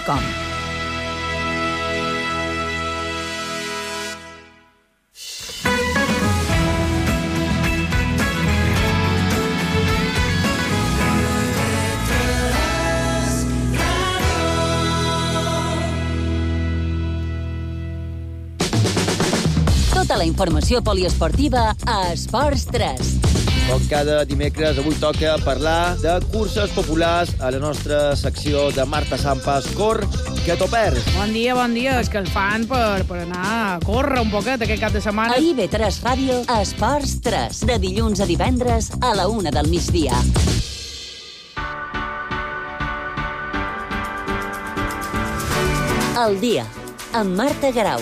www.radiotrinitat.com. Tota la informació poliesportiva a Esports 3. Com cada dimecres, avui toca parlar de curses populars a la nostra secció de Marta Sampas. Cor, que t'ho perds. Bon dia. És que el fan per anar a córrer un poquet aquest cap de setmana. A IB3 Ràdio, a Esports 3. De dilluns a divendres a la 1 del migdia. El dia, amb Marta Garau.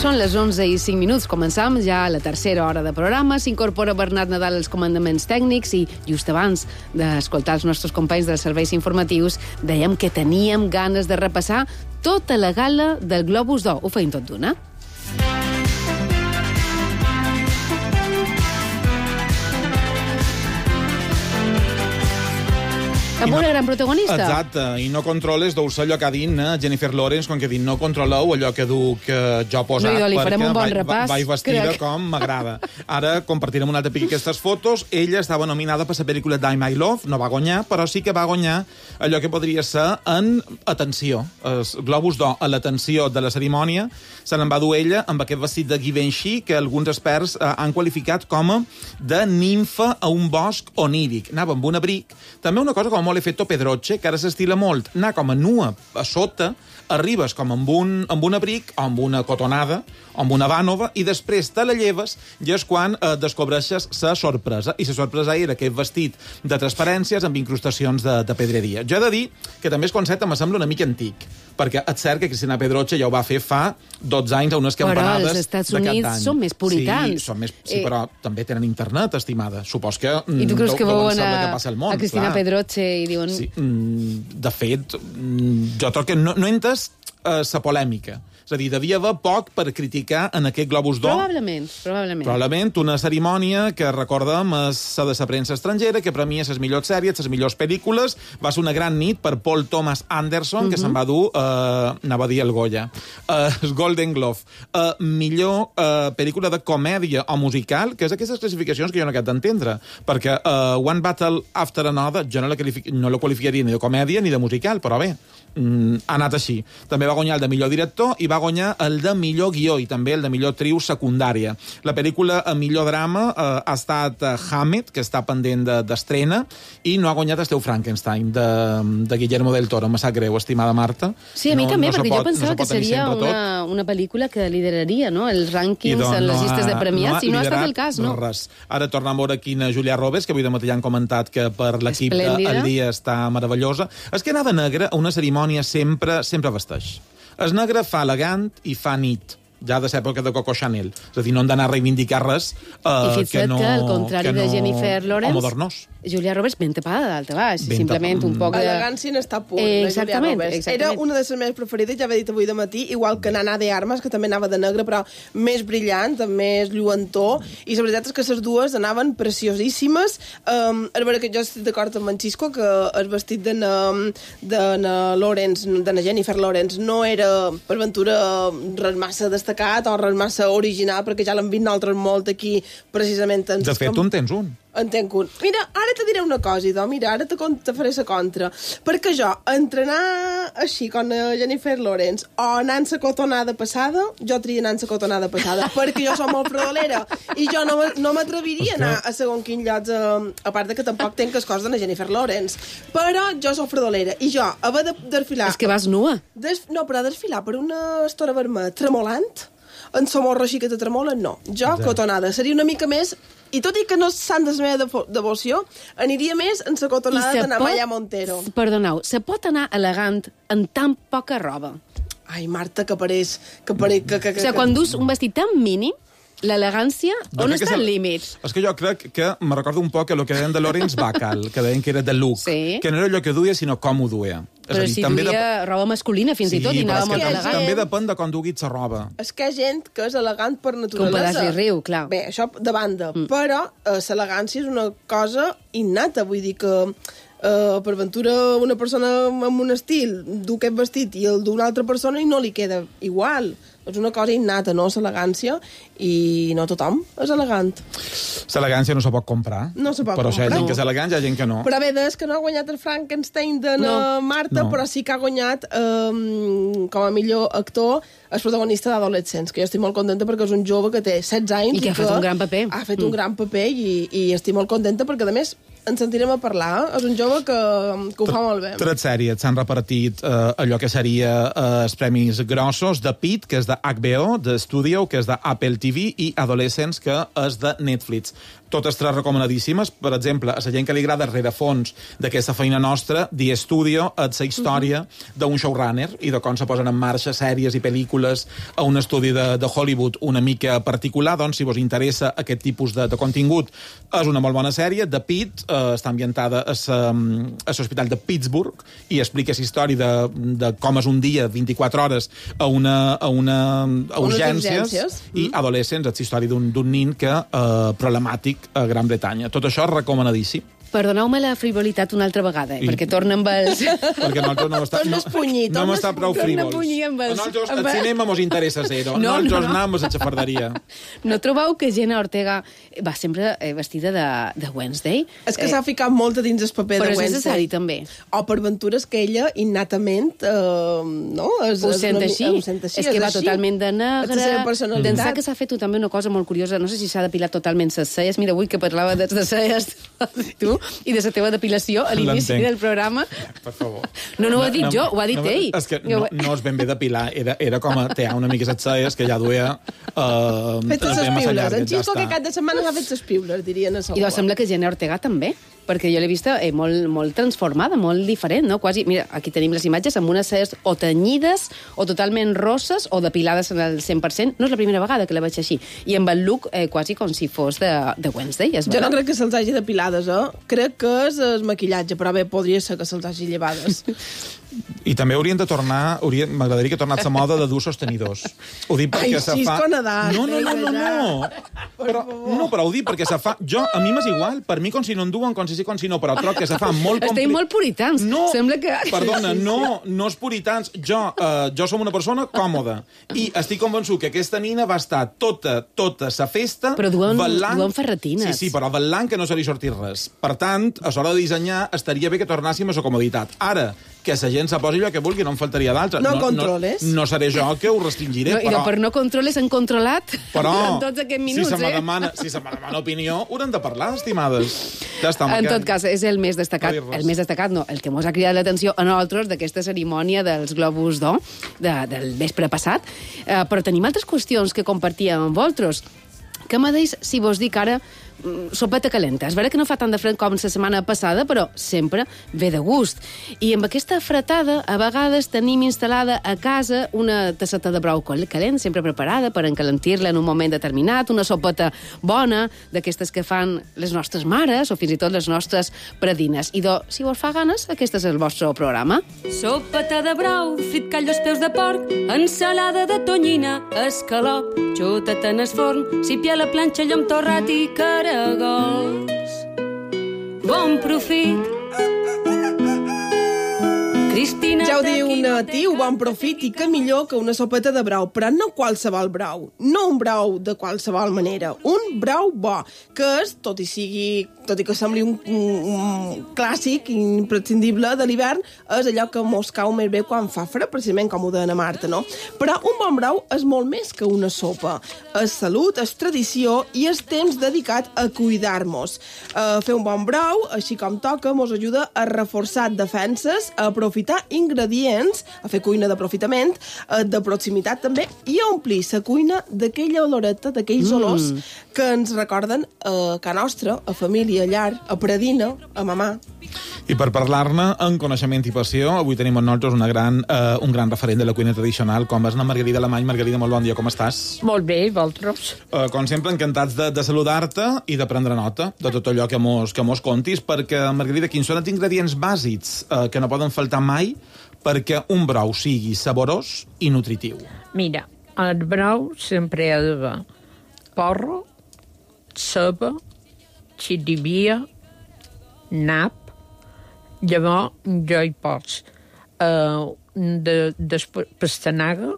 Són les 11:05. Començam ja a la tercera hora de programa. S'incorpora Bernat Nadal als comandaments tècnics i just abans d'escoltar els nostres companys dels serveis informatius dèiem que teníem ganes de repassar tota la gala del Globus d'Or. Ho feim tot d'una. Amb una gran protagonista. Exacte, i no controles deu ser allò que ha dit Jennifer Lawrence, quan que ha dit no controleu allò que duc jo posat, no, li farem un bon repàs, vaig vestida crec. com m'agrada. Ara compartirem un altre pic aquestes fotos. Ella estava nominada per la pel·lícula Die My Love, no va guanyar, però sí que va guanyar allò que podria ser en atenció. Els Globus d'Or a l'atenció de la cerimònia se n'en va dur ella amb aquest vestit de Givenchy que alguns experts han qualificat com a de nimfa a un bosc oníric. Anava amb un abric, també una cosa com molt efecto Pedroche, que ara s'estila molt, anar com a nua a sota, arribes com amb un abric o amb una cotonada o amb una vànova i després te la lleves i és quan descobreixes la sorpresa. I la sorpresa era aquest vestit de transparències amb incrustacions de pedreria. Jo he de dir que també el concepte me sembla una mica antic, perquè és cert que Cristina Pedroche ja ho va fer fa 12 anys a unes campanades. Però els Estats Units són més puritans. Sí, però també tenen internet, estimada. Supos que... I tu creus que veuen a Cristina Pedroche i diuen... Sí, de fet, jo trobo que no entès la polèmica. És a dir, devia haver poc per criticar en aquest Globus d'Or. Probablement una cerimònia que recordem és la de la premsa estrangera, que premia les millors sèries, les millors pel·lícules. Va ser una gran nit per Paul Thomas Anderson, que se'n va dur, anava a dir el Goya, el Golden Globe. Millor pel·lícula de comèdia o musical, que és aquestes classificacions que jo no he d'entendre, perquè One Battle After Another jo no la qualificaria ni de comèdia ni de musical, però bé, ha anat així. També va guanyar el de millor director i va guanyar el de millor guió i també el de millor actriu secundària. La pel·lícula a millor drama ha estat Hammett, que està pendent d'estrena, i no ha guanyat Esteu Frankenstein, de Guillermo del Toro. Me sap greu, estimada Marta. Sí, a mi també, perquè jo pensava que seria una pel·lícula que lideraria, no?, els rànquings en les llistes de premiats, i no ha estat el cas, no? Res. Ara tornem a veure quina Julia Roberts, que avui de matí ja han comentat que per l'equip del dia està meravellosa. És que anar de negre a una cerimònia sempre vesteix. El negre fa elegant i fa nit, ja de l'època de Coco Chanel. És a dir, no hem d'anar a reivindicar res que no... I al contrari de Jennifer Lawrence... O modernós. Julia Roberts ben tapada d'alta baix, simplement un poc de... Elegància n'està pur, Julia Roberts. Era una de les meves preferides, ja ho he dit avui de matí, igual que Nana de Armas, que també anava de negre, però més brillant, amb més lluentor, i la veritat és que les dues anaven preciosíssimes. És vera que jo estic d'acord amb en Xisco, que el vestit de Lawrence, de na Jennifer Lawrence, no era per ventura res massa destacat o res massa original, perquè ja l'hem vist nosaltres molt aquí, precisament. De fet, tu en tens un. En tenc un. Mira, ara te diré una cosa, idò. Mira, ara te faré la contra. Perquè jo, entrenar així com Jennifer Lawrence o anar en la cotonada passada, jo tria anar en la cotonada passada, perquè jo som molt fredolera i jo no m'atreviria a anar a segon quin llocs, a part de que tampoc tenc les coses de Jennifer Lawrence. Però jo som fredolera i jo, haver de desfilar... És que vas nua. No, però desfilar per una estora vermella tremolant, en sa morra així que te tremolen, no. Jo, cotonada, seria una mica més... I tot i que no s'han de la meva devoció, aniria més en la cotonada de Namaya Montero. Perdoneu, se pot anar elegant en tan poca roba? Ai, Marta, que pareix... O sigui, quan dus un vestit tan mínim, l'elegància, on està el límit? És que jo crec que me recordo un poc el que deien de Lawrence Bacall, que deien que era de look, que no era allò que duia, sinó com ho duia. Però si duia roba masculina, fins i tot, i anava molt elegant. També depèn de com duguis la roba. És que hi ha gent que és elegant per naturalesa. Com pedaç i riu, clar. Bé, això de banda. Però l'elegància és una cosa innata, vull dir que per ventura una persona amb un estil du aquest vestit i el d'una altra persona i no li queda igual. És una cosa innata, no?, l'elegància, i no tothom és elegant. L'elegància no se pot comprar. No se pot però comprar. Però hi ha gent que és elegant, hi ha gent que no. Però bé, és que no ha guanyat el Frankenstein de Marta, però sí que ha guanyat com a millor actor el protagonista d'Adolescents, que jo estic molt contenta perquè és un jove que té 16 anys i que ha fet un gran paper. Ha fet un gran paper i estic molt contenta perquè, a més, ens sentirem a parlar. És un jove que ho fa molt bé. 3 sèries s'han repartit allò que seria els premis grossos de Pitt, que és de HBO, de Studio, que és de Apple TV, i Adolescents, que és de Netflix. Totes 3 recomanadíssimes. Per exemple, a la gent que li agrada rerefons d'aquesta feina nostra, The Studio és la història d'un showrunner i de com se posen en marxa sèries i pel·lícules a un estudi de Hollywood una mica particular. Doncs, si vos interessa aquest tipus de contingut, és una molt bona sèrie. The Pitt està ambientada a l'Hospital de Pittsburgh i explica la història de com és un dia, 24 hores, a urgències. I Adolescents és la història d'un nin que problemàtic a Gran Bretanya. Tot això és recomanadíssim. Perdoneu-me la frivolitat una altra vegada, perquè torna amb els... Perquè nosaltres no hem estat prou frívols. A nosaltres el cinema mos interessa zero. Nosaltres anem a la xafarderia. No trobeu que Jenna Ortega va sempre vestida de Wednesday? És que s'ha ficat molt a dins el paper de Wednesday. Però és necessari, també. O per aventures que ella, innatament, no? Ho sent així. És que va totalment de negre. D'ençà que s'ha fet també una cosa molt curiosa. No sé si s'ha depilat totalment les celles. Mira, avui que parlava de les celles, tu, i de la teva depilació a l'inici del programa. Per favor. No ho he dit jo, ho ha dit ell. És que no és ben bé depilar, era com a tear una mica les celles que ja duia fet les piules. En Xisco que cada setmana ha fet les piules, dirien a I doncs sembla que Jenna Ortega també, perquè jo l'he vista molt transformada, molt diferent, no? Quasi, mira, aquí tenim les imatges amb unes celles o tenyides, o totalment rosses, o depilades al 100%. No és la primera vegada que la veig així. I amb el look quasi com si fos de Wednesday. Jo no crec que se'ls hagi depilades, Crec que és el maquillatge, però bé, podria ser que se'ls hagi llevades. I també haurien de tornar, m'agradaria que tornés la moda de dur sostenidors. Ho dic perquè se fa... Nadal, no. Però ho dic perquè se fa... A mi m'és igual, per mi com si no en duen, com si sí, com si no, però troc que se fa molt complicat. Estem molt puritans. No, sembla que... Perdona, no és puritans. Jo som una persona còmoda i estic convençut que aquesta nina va estar tota la festa... Però duen ferretines. Sí, però vetllant que no se li sortís res. Per tant, a l'hora de dissenyar, estaria bé que tornàssim a la comoditat. Ara, que la gent se posi allò que vulgui, no em faltaria d'altre. No controles. No seré jo que ho restringiré, però... I per no controles han controlat durant tots aquests minuts, si se me demana opinió, haurem de parlar, estimades. Ja està, en tot cas, és el més destacat. El que mos ha cridat l'atenció a nosaltres d'aquesta cerimònia dels Globus d'Or del vespre passat. Però tenim altres qüestions que compartíem amb vosaltres. Què me deis si vos dic ara sopeta calenta? És vera que no fa tant de fred com la setmana passada, però sempre ve de gust. I amb aquesta fretada, a vegades tenim instal·lada a casa una tasseta de brou calent, sempre preparada per encalentir-la en un moment determinat, una sopeta bona, d'aquestes que fan les nostres mares o fins i tot les nostres predines. I si vos fa ganes, aquest és el vostre programa. Sopeta de brou, frit callo als peus de porc, ensalada de tonyina, escalop, xutat en el forn, sípia a la planxa, llom torrat i caragols. Bon profit. Cristina... Ja ho diu Natiu, bon profit, i que millor que una sopeta de brou, però no qualsevol brou, no un brou de qualsevol manera, un brou bo, que és, tot i que sembli un clàssic imprescindible de l'hivern, és allò que mos cau més bé quan fa fred, precisament com ho deia Marta, no? Però un bon brou és molt més que una sopa. És salut, és tradició i és temps dedicat a cuidar-nos. Fer un bon brou, així com toca, mos ajuda a reforçar defenses, a aprofitar aprofitar ingredients, a fer cuina d'aprofitament, de proximitat també, i a omplir la cuina d'aquella oloreta, d'aquells olors que ens recorden a casa nostra, a família, a llar, a predina, a mamà. I per parlar-ne en coneixement i passió, avui tenim amb nosaltres un gran referent de la cuina tradicional, com és la Margarida Alemany. Margarida, molt bon dia, com estàs? Molt bé, i vosaltres? Com sempre, encantats de saludar-te i de prendre nota de tot allò que mos contis, perquè, Margarida, quins són els ingredients bàsics que no poden faltar mai perquè un brou sigui saborós i nutritiu? Mira, el brou sempre ha d'haver porro, ceba, xirivia, nap. Llavors jo hi poso de pastanaga,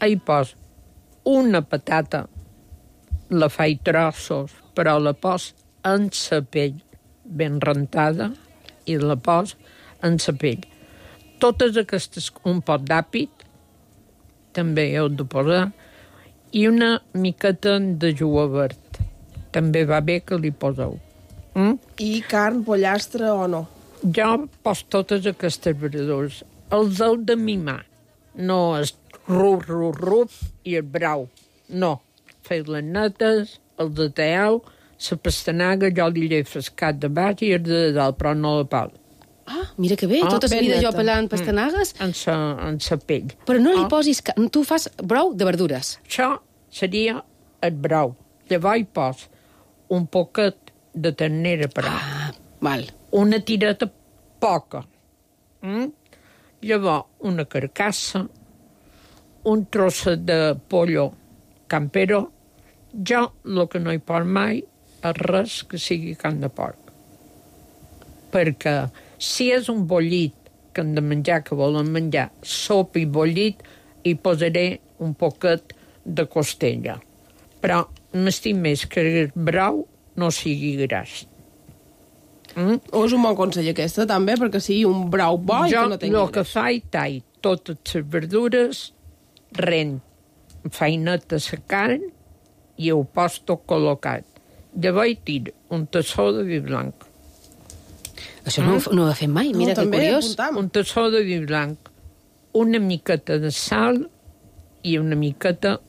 hi poso una patata, la faig trossos, però la poso en la pell ben rentada i la poso en la pell. Totes aquestes, un pot d'àpid, també heu de posar, i una miqueta de julivert. També va bé que li poseu. I carn, pollastre o no? Jo poso totes aquestes verdures. Els heu de mimar. No és rup i el brau. No. Feu les netes, els ateu, la pastanaga, jo li he frescat de baix i el de dalt, però no la pal. Ah, mira que bé, tota la vida jo pelant pastanagues. En sa pell. Però no li posis... Tu fas brou de verdures. Això seria el brou. Llavors hi poso un poquet de ternera per val. Una tireta poca. Llavors, una carcassa, un trosset de pollo campero. Jo, el que no hi poso mai és res que sigui carn de porc. Perquè si és un bollit que hem de menjar, que volen menjar sopa i bollit, hi posaré un poquet de costella. Però m'estim més que el brou no sigui gras. O és un bon consell aquesta, també, perquè sigui un brou bo i que no tingui Jo el que faig, tall totes les verdures, fainet de la carn i ho poso tot col·locat. Llavors tiro un tassó de vi blanc. Això no ho he fet mai, mira que curiós. Un tassó de vi blanc, una miqueta de sal i una miqueta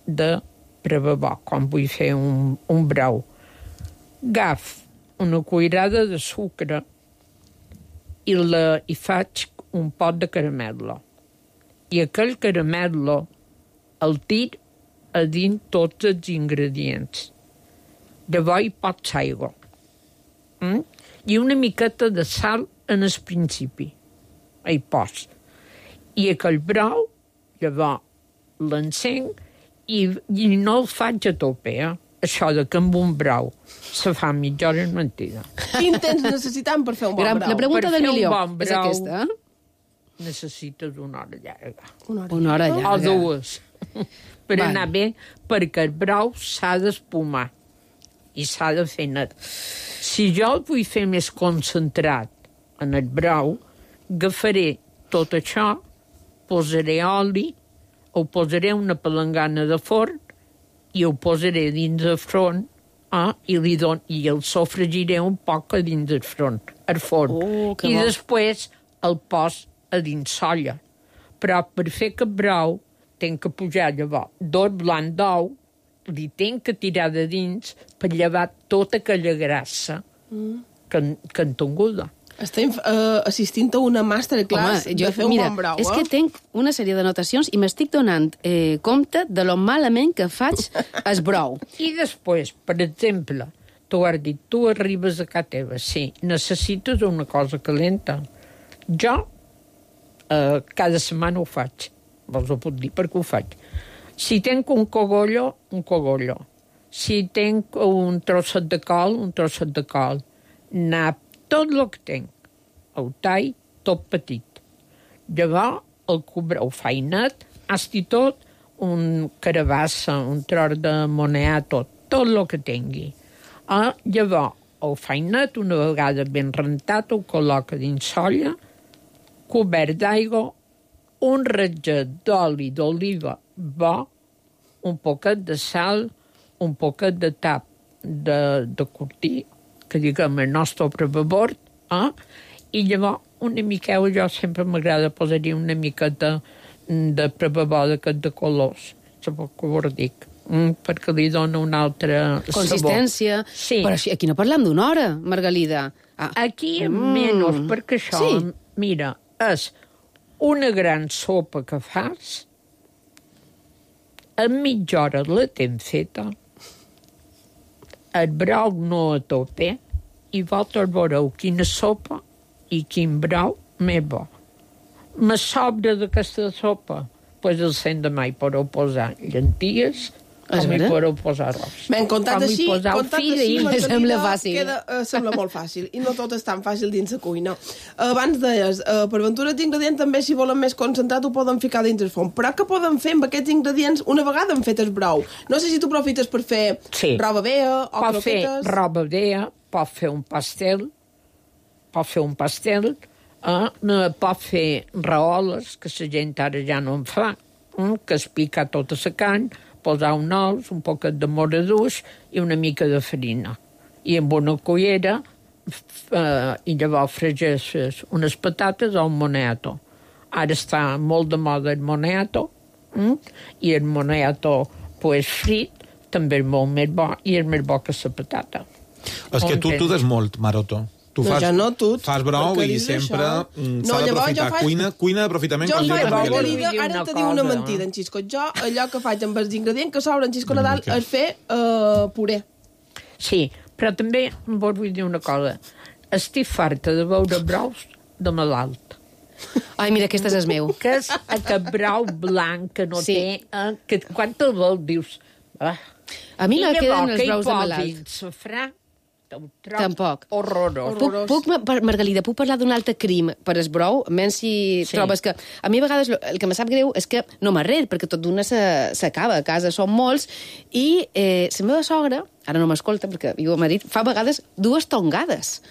de prebabó, quan vull fer un brou. Agafo una cuirada de sucre i faig un pot de caramel·lo. I aquell caramel·lo el tir a dins tots els ingredients. Llavors hi pots aigua. I una miqueta de sal en el principi. Hi pots. I aquell brou, llavors l'encenc i no el faig a tope, Això de que amb un brou se fa mitja hora és mentida. Quin temps necessitam per fer un bon brou? La pregunta del milió és aquesta. Necessites una hora llarga. Una hora llarga. O dues. Per anar bé, perquè el brou s'ha d'espumar i s'ha de fer net. Si jo el vull fer més concentrat en el brou, agafaré tot això, posaré oli, ho posaré una palangana de forn i ho posaré dins el forn i el sofregiré un poc a dins del forn. I després el pos a dins solla. Però per fer aquest brou tenc que pujar llavors blanc d'ou, li tenc que tirar de dins per llevar tota aquella grassa que han tingut. Estem assistint a una masterclass de fer un bon brou. És que tinc una sèrie d'anotacions i m'estic donant compte de lo malament que faig el brou. I després, per exemple, tu has dit, tu arribes a casa teva, sí, necessites una cosa calenta. Jo cada setmana ho faig. Vos ho puc dir perquè ho faig. Si tenc un cogollo, un cogollo. Si tenc un trosset de col, un trosset de col. Nap, tot el que tenc. El tall, tot petit. Llavors, el cobreu feinat, hasti tot, un carabassa, un tros de moneà, tot el que tingui. Llavors, el feinat, una vegada ben rentat, ho col·loca dins solla, cobert d'aigua, un ratget d'oli d'oliva bo, un poquet de sal, un poquet de tap de cortí, que diguem el nostre prebabord, i llavors una miqueta, jo sempre m'agrada posar-hi una miqueta de prebabó d'aquest de colors, sabeu què us dic, perquè li dona una altra consistència. Sabor. Sí. Però aquí no parlem d'una hora, Margalida. Aquí menys, perquè això, mira, és una gran sopa que fas, en mitja hora la tens feta, el brou no a tope, i vosaltres veureu quina sopa i quin brou més bo. Me sobra d'aquesta sopa, doncs el cent de mai podeu posar llenties, com hi podeu posar arròs. Ben, comptat així, sembla fàcil. Sembla molt fàcil, i no tot és tan fàcil dins la cuina. Abans deies, per aventura d'ingredients també, si volen més concentrat, ho poden ficar dins el forn. Però què poden fer amb aquests ingredients una vegada han fet el brou? No sé si tu aprofites per fer roba vea o croquetes. Pot fer roba vea, pot fer un pastel, pot fer raoles, que la gent ara ja no en fa, que es pica tota la carn, posar un ous, un poquet de moradús i una mica de farina. I amb una cullera, i llavors fregeixes unes patates o un moniato. Ara està molt de moda el moniato, i el moniato frit també és molt més bo, i és més bo que la patata. És que tu des molt, Maroto. Tu fas brou i sempre s'ha d'aprofitar. Cuina d'aprofitament. Jo ara te dic una mentida, en Xisco. Jo, allò que faig amb els ingredients que sobren Xisco Nadal és fer puré. Sí, però també vos vull dir una cosa. Estic farta de veure brous de malalt. Ai, mira, aquest és el meu. Que és aquest brou blanc que no té... Que quan te'l veus dius... A mi me queden els brous de malalt. I llavors que hi posin safrà, tampoc. Horrorós. Margalida, puc parlar d'un altre crim per el brou? Menys si trobes que... A mi a vegades el que me sap greu és que no m'arrer, perquè tot d'una s'acaba. A casa som molts. I la meva sogra, ara no m'escolta perquè viu a Madrid, fa a vegades 2 tongades.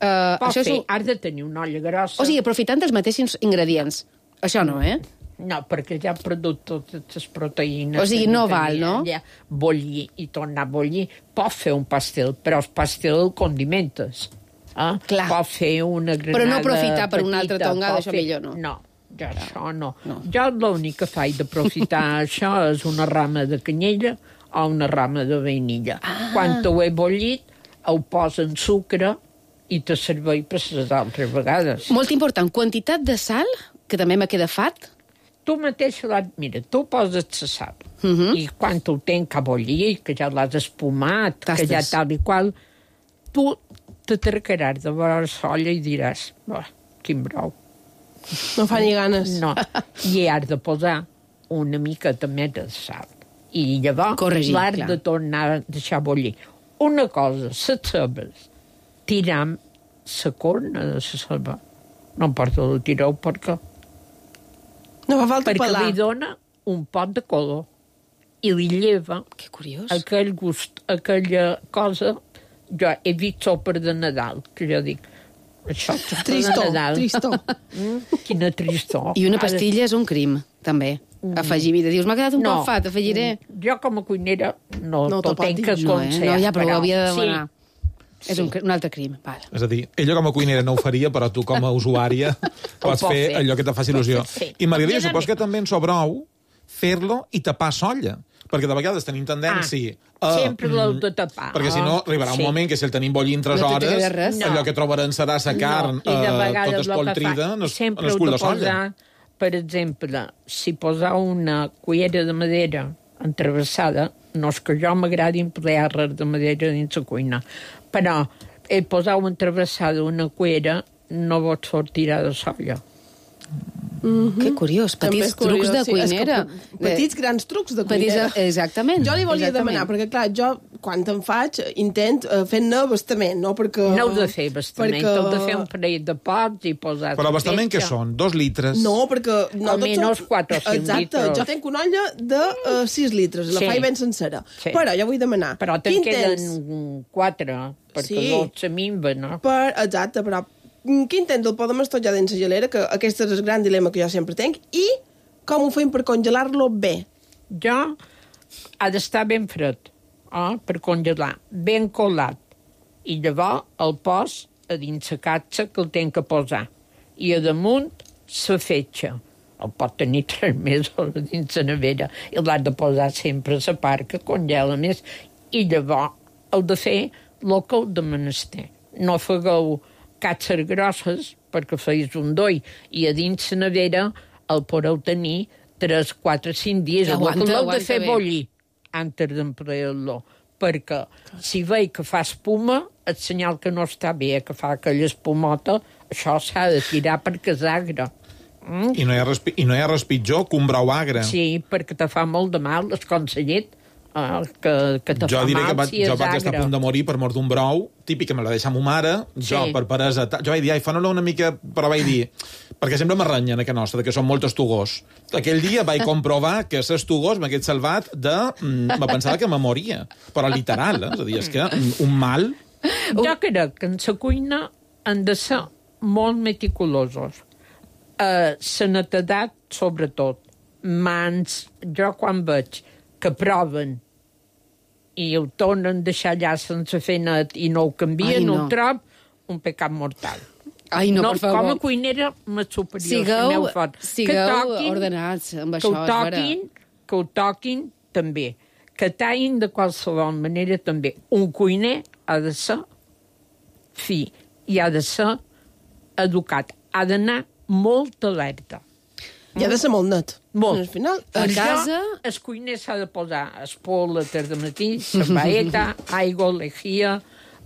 Has de tenir una olla grossa. O sigui, aprofitant els mateixos ingredients. Això no, No, perquè ja ha perdut totes les proteïnes. O sigui, no val, no? Bollir i tornar a bollir. Pot fer un pastel, però el pastel el condimentes. Clar. Pot fer una granada però no aprofitar per petita, una altra tongada, això millor no. No, jo això no. Jo l'únic que faig d'aprofitar això és una rama de canyella o una rama de vainilla. Quan ho he bollit, ho poso en sucre i te serveix per les altres vegades. Molt important, quantitat de sal, que també me queda fat. Tu mateix, mira, tu poses la sal, i quan tu tens que bollir, que ja l'has espumat, que ja tal i qual, tu te trecaràs de veure l'olla i diràs, quin brou. No fa ni ganes. No, i has de posar una miqueta més de sal. I llavors l'has de tornar a deixar bollir. Una cosa, les cebes, tiram la corna de la ceba. No importa, la tireu perquè... No fa falta perquè li dona un pot de color i li lleva aquell gust, aquella cosa. Jo he vist sopes de Nadal, que jo dic, això és de Nadal. Tristor. Quina tristor. I una pastilla és un crim, també. Afegir vida. Dius, m'ha quedat un poc fat, afegiré. Jo com a cuinera no t'ho tenc que aconsellar. No, ja, però ho havia de demanar. És un altre crim. Vale. És a dir, ella com a cuinera no ho faria, però tu com a usuària pots fer allò que te faci il·lusió. I Margarida, supos que també en sobrou fer-lo i tapar solla. Perquè de vegades tenim tendència a... Sempre l'heu de tapar. Perquè si no, arribarà un moment que si el tenim bollint 3 hores, allò que trobaran serà la carn tota espoltrida en el cul de solla. Per exemple, si posar una cullera de madera entrevessada, no és que jo m'agradi emplear res de madera dins la cuina, però posar entrevessada una cuera no pot sortir de solla. Que curiós, petits trucs de cuinera. Petits grans trucs de cuinera. Exactament. Jo li volia demanar, perquè clar, jo quan te'n faig intent fer-ne bastament, no? Perquè... No heu de fer bastament, heu de fer un parell de pots i posar... Però bastament què són? 2 litres? No, perquè... Almenys 4 o 5 litres. Exacte, jo tenc una olla de 6 litres, la faig ben sencera. Però jo vull demanar... Però te'n queden 4, perquè 12 minva, no? Exacte, però... Quin temps el podem estollar dins la gelera, que aquest és el gran dilema que jo sempre tenc, i com ho fem per congelar-lo bé? Jo ha d'estar ben fred, per congelar, ben colat, i llavors el pos a dins la catxa que el tenc que posar. i a damunt la fetge. El pot tenir 3 mesos dins la nevera i l'has de posar sempre a la part que congela més i llavors heu de fer el que heu de menester. No fegueu catxes grosses perquè feis un doi i a dins la nevera el podeu tenir 3, 4, 5 dies. L'heu de fer bullir antes d'emplear-lo, perquè si veig que fa espuma, el senyal que no està bé, que fa aquella espumota, això s'ha de tirar perquè és agre. I no hi ha res pitjor que un brou agre. Sí, perquè te fa molt de mal, l'esconsellet, que te fa mal si és agre. Jo vaig estar a punt de morir per mort d'un brou, típic que me la deixa ma mare, jo per peresa... Jo vaig dir, fa-no-la una mica... Però vaig dir, perquè sempre m'arranyen a casa nostra, que són molt estugós. Aquell dia vaig comprovar que l'estugós m'hagués salvat de... Me pensava que me moria, però literal, És a dir, és que un mal... Jo crec que en la cuina han de ser molt meticulosos. La netedat, sobretot. Mans, jo quan veig que proven i ho tornen a deixar allà sense fer net i no ho canvien, ho trob un pecat mortal. Ai, no, per favor. Com a cuinera, més superior. Sigueu ordenats amb això, és vera. Que ho toquin, també. Que tallin de qualsevol manera, també. Un cuiner ha de ser fi i ha de ser educat. Ha d'anar molt alerta. I ha de ser molt net. Molt. Al final, a casa... El cuiner s'ha de posar espol a tarda matí, cerveta, aigua, lejia,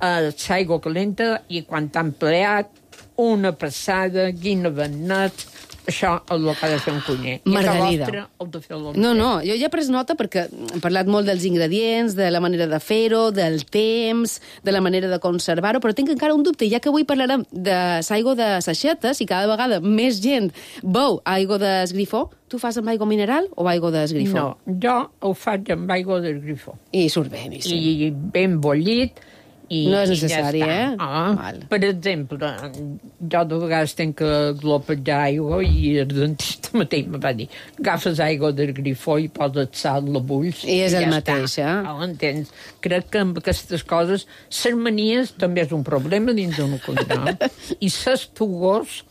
l'aigua calenta, i quan t'ha empleat, una passada, guina ben net, això és el que ha de fer un cuiner. Margarida. I el de fer no, jo ja he pres nota perquè hem parlat molt dels ingredients, de la manera de fer-ho, del temps, de la manera de conservar-ho, però tinc encara un dubte, ja que avui parlarem de l'aigua de saixetes i cada vegada més gent beu aigua d'esgrifó, tu fas amb aigua mineral o aigua d'esgrifó? No, jo ho faig amb aigua d'esgrifó. I surt bé, sí. I ben bullit. No és necessari, Per exemple, jo de vegades tenc que glopejar aigua i el dentista mateix me va dir agafes aigua del grifó i poses sal, la bulls... I és el mateix, entens? Crec que amb aquestes coses les manies també és un problema dins d'una cuina. I ses tugors...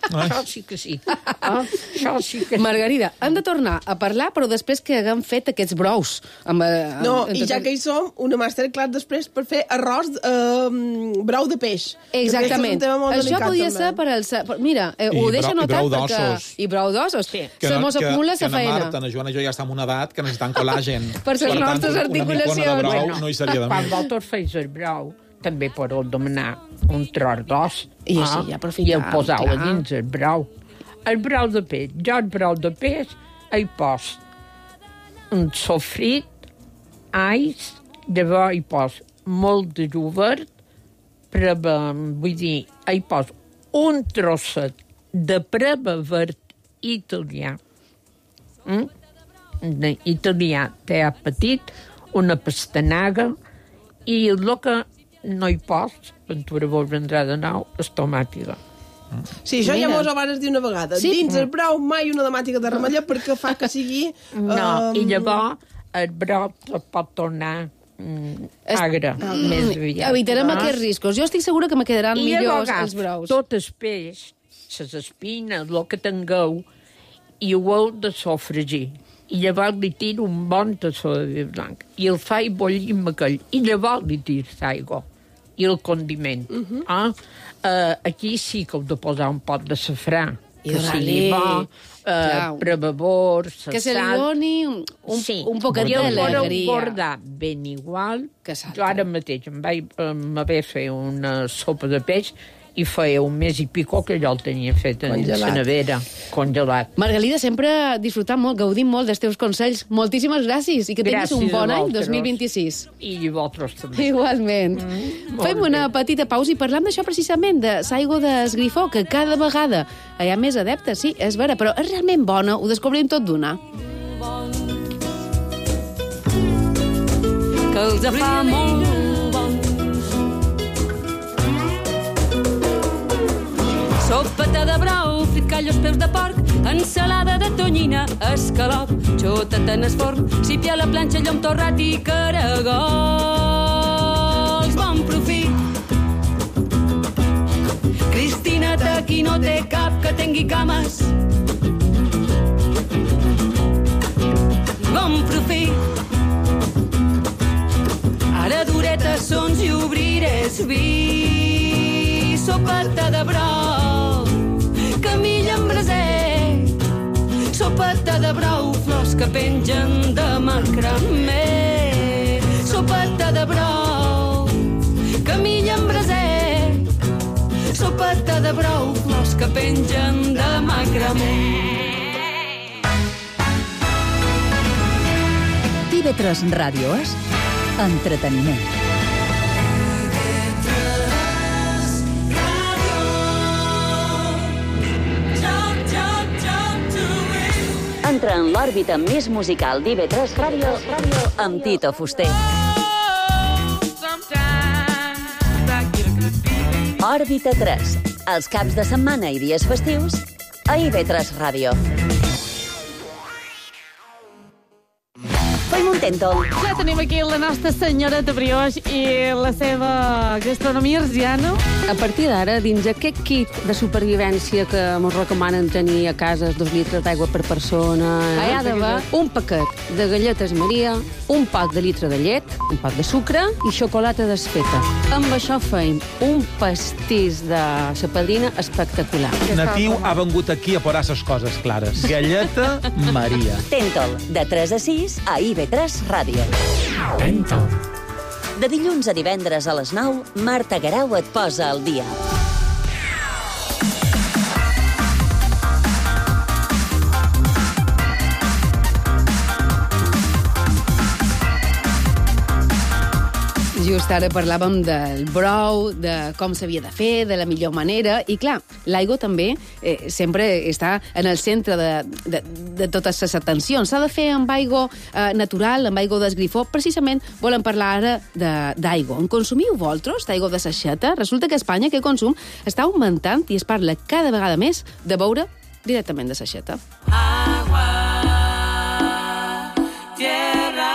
això sí que sí. Això sí que sí. Margarida, hem de tornar a parlar, però després que haguem fet aquests brous. I ja que hi som, una masterclass després per fer arròs brou de peix. Exactament. Això podia ser per al... Mira, ho deixo notat perquè... I brou d'ossos. Se mos acumula la feina. Que na Joana i jo ja estem en una edat que necessitem col·làgen. Per les nostres articulacions. Una micona de brou no hi seria de més. Quan vosaltres feis el brou, també podeu demanar un tros d'os i el poseu a dins el brou. El brou de peix. Jo el brou de peix hi poso un sofrit, ais, llavors hi poso molt de jovert, vull dir, hi poso un trosset de preba verd italià. Italià té petit, una pastanaga, i el que no hi pots, Ventura vol vendrà de nou, és tomàtiga. Sí, això ja mos ho vas dir una vegada. Sí? Dins el brou mai una tomàtica de remella perquè fa que sigui... No, i llavors el brou pot tornar agre, més aviat. Evitarem aquests riscos. Jo estic segura que me quedaran millors els brous. I tot el peix, les espines, el que tingueu, i ho heu de sofregir. I llavors li tiro un bon tassó de vi blanc. I el faig bullir amb aquell. I llavors li tiro l'aigua i el condiment. Aquí sí que heu de posar un pot de safrà. Que sigui bo, prevavor, sal... Que se li doni un poquet d'alegria. I ho guardar ben igual. Jo ara mateix em vaig fer una sopa de peix i feia un mes i pico que jo el tenia fet en la nevera, congelat. Margalida, sempre disfrutant molt, gaudint molt dels teus consells. Moltíssimes gràcies i que tinguis un bon any 2026. I vosaltres també. Igualment. Fem una petita pausa i parlam d'això precisament, de l'aigua d'esgrifó, que cada vegada hi ha més adeptes, sí, és vera, però és realment bona, ho descobrim tot d'una. Que els fa molt bons. Sopeta de brou, frit callo als peus de porc, ensalada de tonyina, escalop, xotat en el forn, sípia a la planxa, llom torrat i caragols. Bon profit! Cristina Taquino no té cap que tingui cames. Bon profit. Ara duretes sons i obrirés vi. Sopeta de brou, camilla amb braser. Sopeta de brou, flors que pengen de macramé. Sopeta de brou, camilla amb braser. Sopeta de brou, flors que pengen de macramé. TV3 Ràdio és entreteniment. Entra en l'òrbita més musical d'IV3 Ràdio amb Tito Fuster. Òrbita 3, els caps de setmana i dies festius a IV3 Ràdio. Fem un tèntol. Ja tenim aquí la nostra senyoreta Brioix i la seva gastronomia arsiana. A partir d'ara, dins aquest kit de supervivència que ens recomanen tenir a casa 2 litres d'aigua per persona, hi ha d'haver un paquet de galletes Maria, un poc de litre de llet, un poc de sucre i xocolata desfeta. Amb això feim un pastís de sapadrina espectacular. Natiu ha vengut aquí a posar ses coses clares. Galleta Maria. Tèntol, de 3 a 6 a IV3 Ràdio. Tèntol. De dilluns a divendres a les 9, Marta Garau et posa al dia. Just ara parlàvem del brou, de com s'havia de fer, de la millor manera, i clar, l'aigua també sempre està en el centre de totes les atencions. S'ha de fer amb aigua natural, amb aigua d'esgrifó. Precisament volem parlar ara d'aigua. En consumiu vosaltres d'aigua de saixeta? Resulta que a Espanya aquest consum està augmentant i es parla cada vegada més de beure directament de saixeta. Agua, tierra,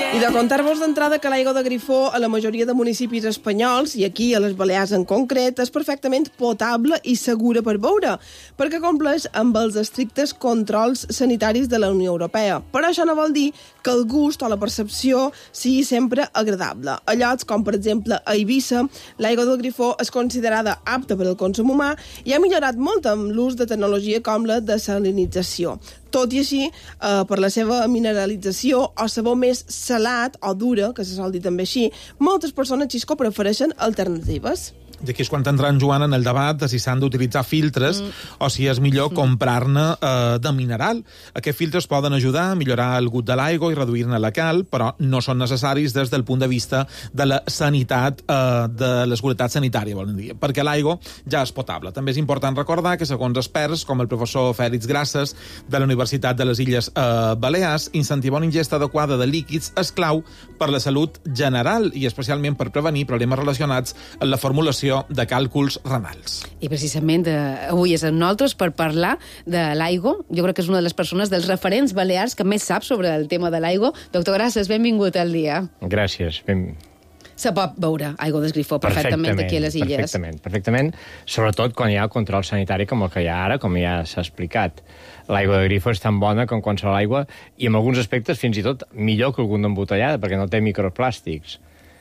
i de contar-vos d'entrada que l'aigua de grifó a la majoria de municipis espanyols, i aquí a les Balears en concret, és perfectament potable i segura per beure, perquè compleix amb els estrictes controls sanitaris de la Unió Europea. Però això no vol dir que el gust o la percepció sigui sempre agradable. A llocs com, per exemple, a Eivissa, l'aigua del grifó és considerada apta per al consum humà i ha millorat molt amb l'ús de tecnologia com la desalinització. Tot i així, per la seva mineralització o sabor més salat o dura, que se sol dir també així, moltes persones, Xisco, prefereixen alternatives. I aquí és quan entra en Joan en el debat de si s'han d'utilitzar filtres o si és millor comprar-ne de mineral. Aquests filtres poden ajudar a millorar el gust de l'aigua i reduir-ne la cal, però no són necessaris des del punt de vista de la sanitat, de la seguretat sanitària, volen dir, perquè l'aigua ja és potable. També és important recordar que, segons experts, com el professor Fèlix Grasses de la Universitat de les Illes Balears, incentivar una ingesta adequada de líquids és clau per la salut general i especialment per prevenir problemes relacionats amb la formulació de càlculs renals. I precisament avui és amb nosaltres per parlar de l'aigua. Jo crec que és una de les persones dels referents balears que més sap sobre el tema de l'aigua. Doctor Grasses, benvingut al dia. Gràcies. Se pot beure aigua d'esgrifó perfectament aquí a les illes. Perfectament, sobretot quan hi ha control sanitari com el que hi ha ara, com ja s'ha explicat. L'aigua de grifo és tan bona com qualsevol aigua i en alguns aspectes fins i tot millor que alguna embotellada perquè no té microplàstics.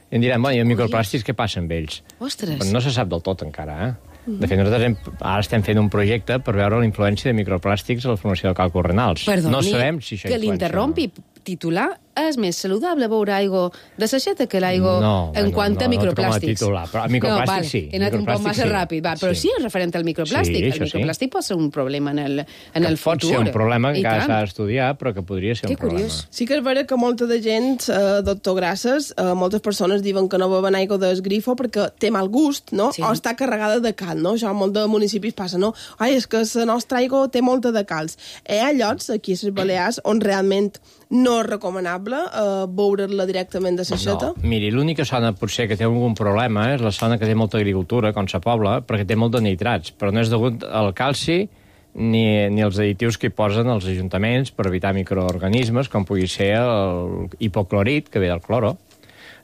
I em diran, bueno, i els microplàstics què passa amb ells? Ostres! Però no se sap del tot encara, De fet, nosaltres ara estem fent un projecte per veure la influència de microplàstics a la formació de càlculs renals. Perdoni, no sabem si això que l'interrompi. Titular és més saludable beure aigua de saixeta que l'aigua en quant a microplàstics. No, però microplàstics sí. He anat un poc massa ràpid, però sí és referent al microplàstic. El microplàstic pot ser un problema en el futur. Pot ser un problema que encara s'ha d'estudiar, però que podria ser un problema. Sí que és vera que molta de gent, doctor Grasses, moltes persones diuen que no beuen aigua d'esgrifo perquè té mal gust, no? O està carregada de cal, no? Això a molts municipis passa, no? Ai, és que la nostra aigua té molta de calç. Hi ha llocs, aquí a les Balears, on realment no és recomanable beure-la directament de saixeta? No, miri, l'única zona potser que té algun problema és la zona que té molta agricultura, com sa Pobla, perquè té molt de nitrats, però no és degut al calci ni els additius que hi posen els ajuntaments per evitar microorganismes, com pugui ser el hipoclorit, que ve del cloro.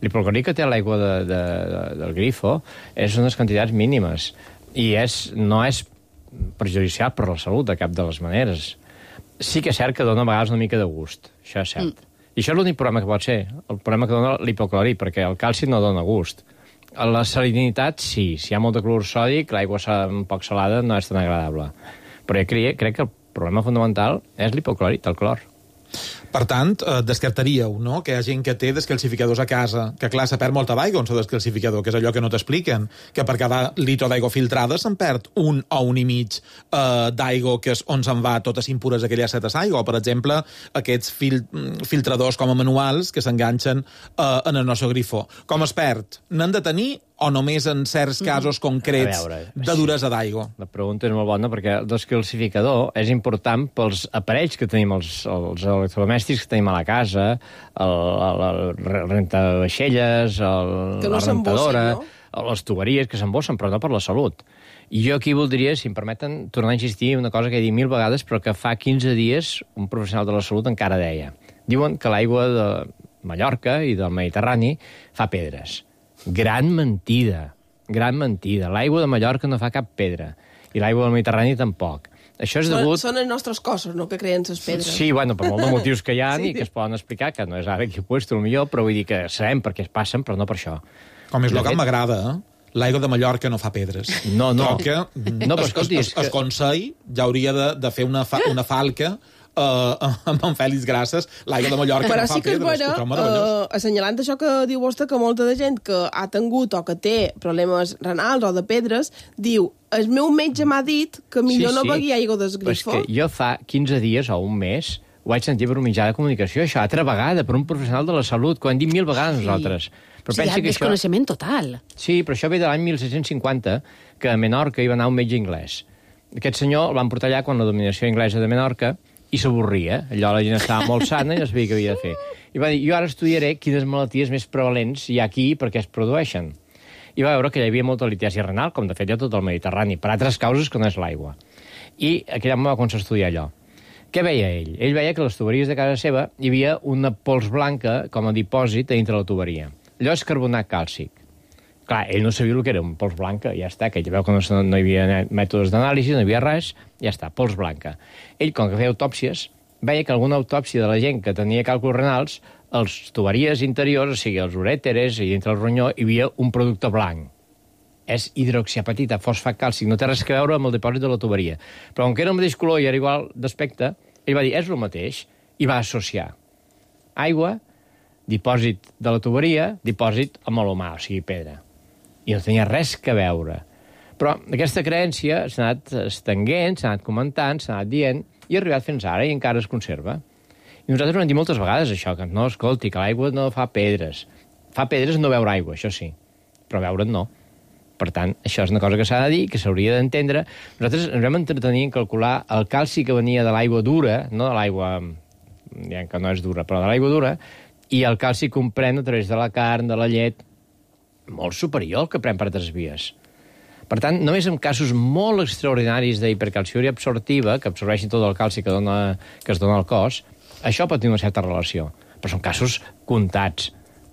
L'hipoclorit que té l'aigua del grifo és unes quantitats mínimes i no és perjudicial per la salut de cap de les maneres. Sí que és cert que dona a vegades una mica de gust, això és cert. I això és l'únic problema que pot ser, el problema que dona l'hipoclorit, perquè el calci no dona gust. La salinitat, sí. Si hi ha molt de clorur sòdic, l'aigua un poc salada no és tan agradable. Però jo crec que el problema fundamental és l'hipoclorit, el clor. Per tant, descartaríeu, no?, que hi ha gent que té descalcificadors a casa, que clar, se perd molta d'aigua en el descalcificador, que és allò que no t'expliquen, que per cada litre d'aigua filtrada se'n perd 1 o 1,5 d'aigua, que és on se'n va totes impures aquelles setes aigua, o, per exemple, aquests filtradors com a manuals que s'enganxen en el nostre grifó. Com es perd? N'han de tenir o només en certs casos concrets de duresa d'aigua? La pregunta és molt bona, perquè el descalcificador és important pels aparells que tenim, els electrodomèstics que tenim a la casa, el rentavaixelles, la rentadora, les tuberies que s'embossen, però no per la salut. I jo aquí voldria, si em permeten, tornar a insistir en una cosa que he dit 1000 vegades, però que fa 15 dies un professional de la salut encara deia. Diuen que l'aigua de Mallorca i del Mediterrani fa pedres. Gran mentida, gran mentida. L'aigua de Mallorca no fa cap pedra, i l'aigua del Mediterrani tampoc. Això és degut... Són els nostres cossos, no?, que creen les pedres. Sí, bueno, per molts motius que hi ha i que es poden explicar, que no és ara aquí puesto el millor, però vull dir que sabem per què es passen, però no per això. Com és el que m'agrada, l'aigua de Mallorca no fa pedres. No. Però que el Consell ja hauria de fer una falca amb en Fèlix Grasses, l'aigua de Mallorca però no fa pedres. Però sí que és vera, assenyalant això que diu vostè, que molta de gent que ha tingut o que té problemes renals o de pedres, diu, el meu metge m'ha dit que millor no begui aigua del grifo. Però és que jo fa 15 dies o un mes ho vaig sentir per un mitjà de comunicació, això, altra vegada, per un professional de la salut, que ho hem dit 1000 vegades nosaltres. Però hi ha desconeixement total. Sí, però això ve de l'any 1750, que a Menorca hi va anar un metge anglès. Aquest senyor el van portar allà quan la dominació anglesa de Menorca i s'avorria. Allò la gent estava molt sana i no sabia què havia de fer. I va dir, jo ara estudiaré quines malalties més prevalents hi ha aquí i per què es produeixen. I va veure que hi havia molta litiasi renal, com de fet hi ha tot el Mediterrani, per altres causes que no és l'aigua. I aquell home va començar a estudiar allò. Què veia ell? Ell veia que a les tuberies de casa seva hi havia una pols blanca com a dipòsit dintre la tuberia. Allò és carbonat càlcic. Clar, ell no sabia el que era un pols blanca, ja està, que ell veu que no hi havia mètodes d'anàlisi, no hi havia res, ja està, pols blanca. Ell, com que feia autòpsies, veia que alguna autòpsia de la gent que tenia càlculs renals, els tuberies interiors, o sigui, els urèteres i dintre el ronyó, hi havia un producte blanc. És hidroxiapatita, fosfat càlcic, no té res a veure amb el dipòsit de la tuberia. Però com que era el mateix color i era igual d'aspecte, ell va dir, és el mateix, i va associar aigua, dipòsit de la tuberia, dipòsit amb l'humà, o sigui, pedra. I no tenia res a veure. Però aquesta creència s'ha anat estenguent, s'ha anat comentant, s'ha anat dient, i ha arribat fins ara i encara es conserva. I nosaltres ho hem dit moltes vegades, això, que no, escolti, que l'aigua no fa pedres. Fa pedres no beure aigua, això sí, però beure'n no. Per tant, això és una cosa que s'ha de dir, que s'hauria d'entendre. Nosaltres ens vam entretenir en calcular el calci que venia de l'aigua dura, no de l'aigua, diguem que no és dura, però de l'aigua dura, i el calci que pren a través de la carn, de la llet, molt superior al que pren per altres vies. Per tant, només en casos molt extraordinaris d'hipercalciúria absortiva, que absorbeixi tot el calci que es dona al cos, això pot tenir una certa relació. Però són casos comptats.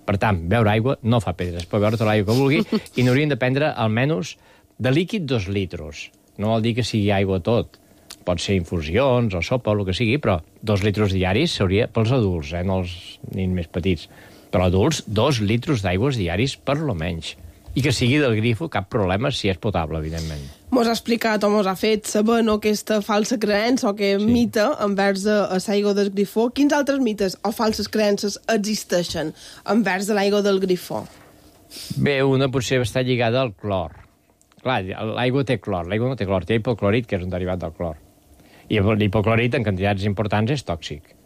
Per tant, beure aigua no fa pedres. Pot beure tota l'aigua que vulgui i n'haurien de prendre almenys de líquid 2 litros. No vol dir que sigui aigua tot. Pot ser infusions o sopa o el que sigui, però 2 litros diaris seria pels adults, no els nins més petits. Però adults, 2 litros d'aigües diaris per lo menys. I que sigui del grifo, cap problema, si és potable, evidentment. Mos ha explicat o mos ha fet saber aquesta falsa creença o que mite envers l'aigua del grifó. Quins altres mites o falses creences existeixen envers de l'aigua del grifó? Bé, una potser està lligada al clor. Clar, l'aigua té clor, l'aigua no té clor, té hipoclorit, que és un derivat del clor. I l'hipoclorit en quantitats importants és tòxic.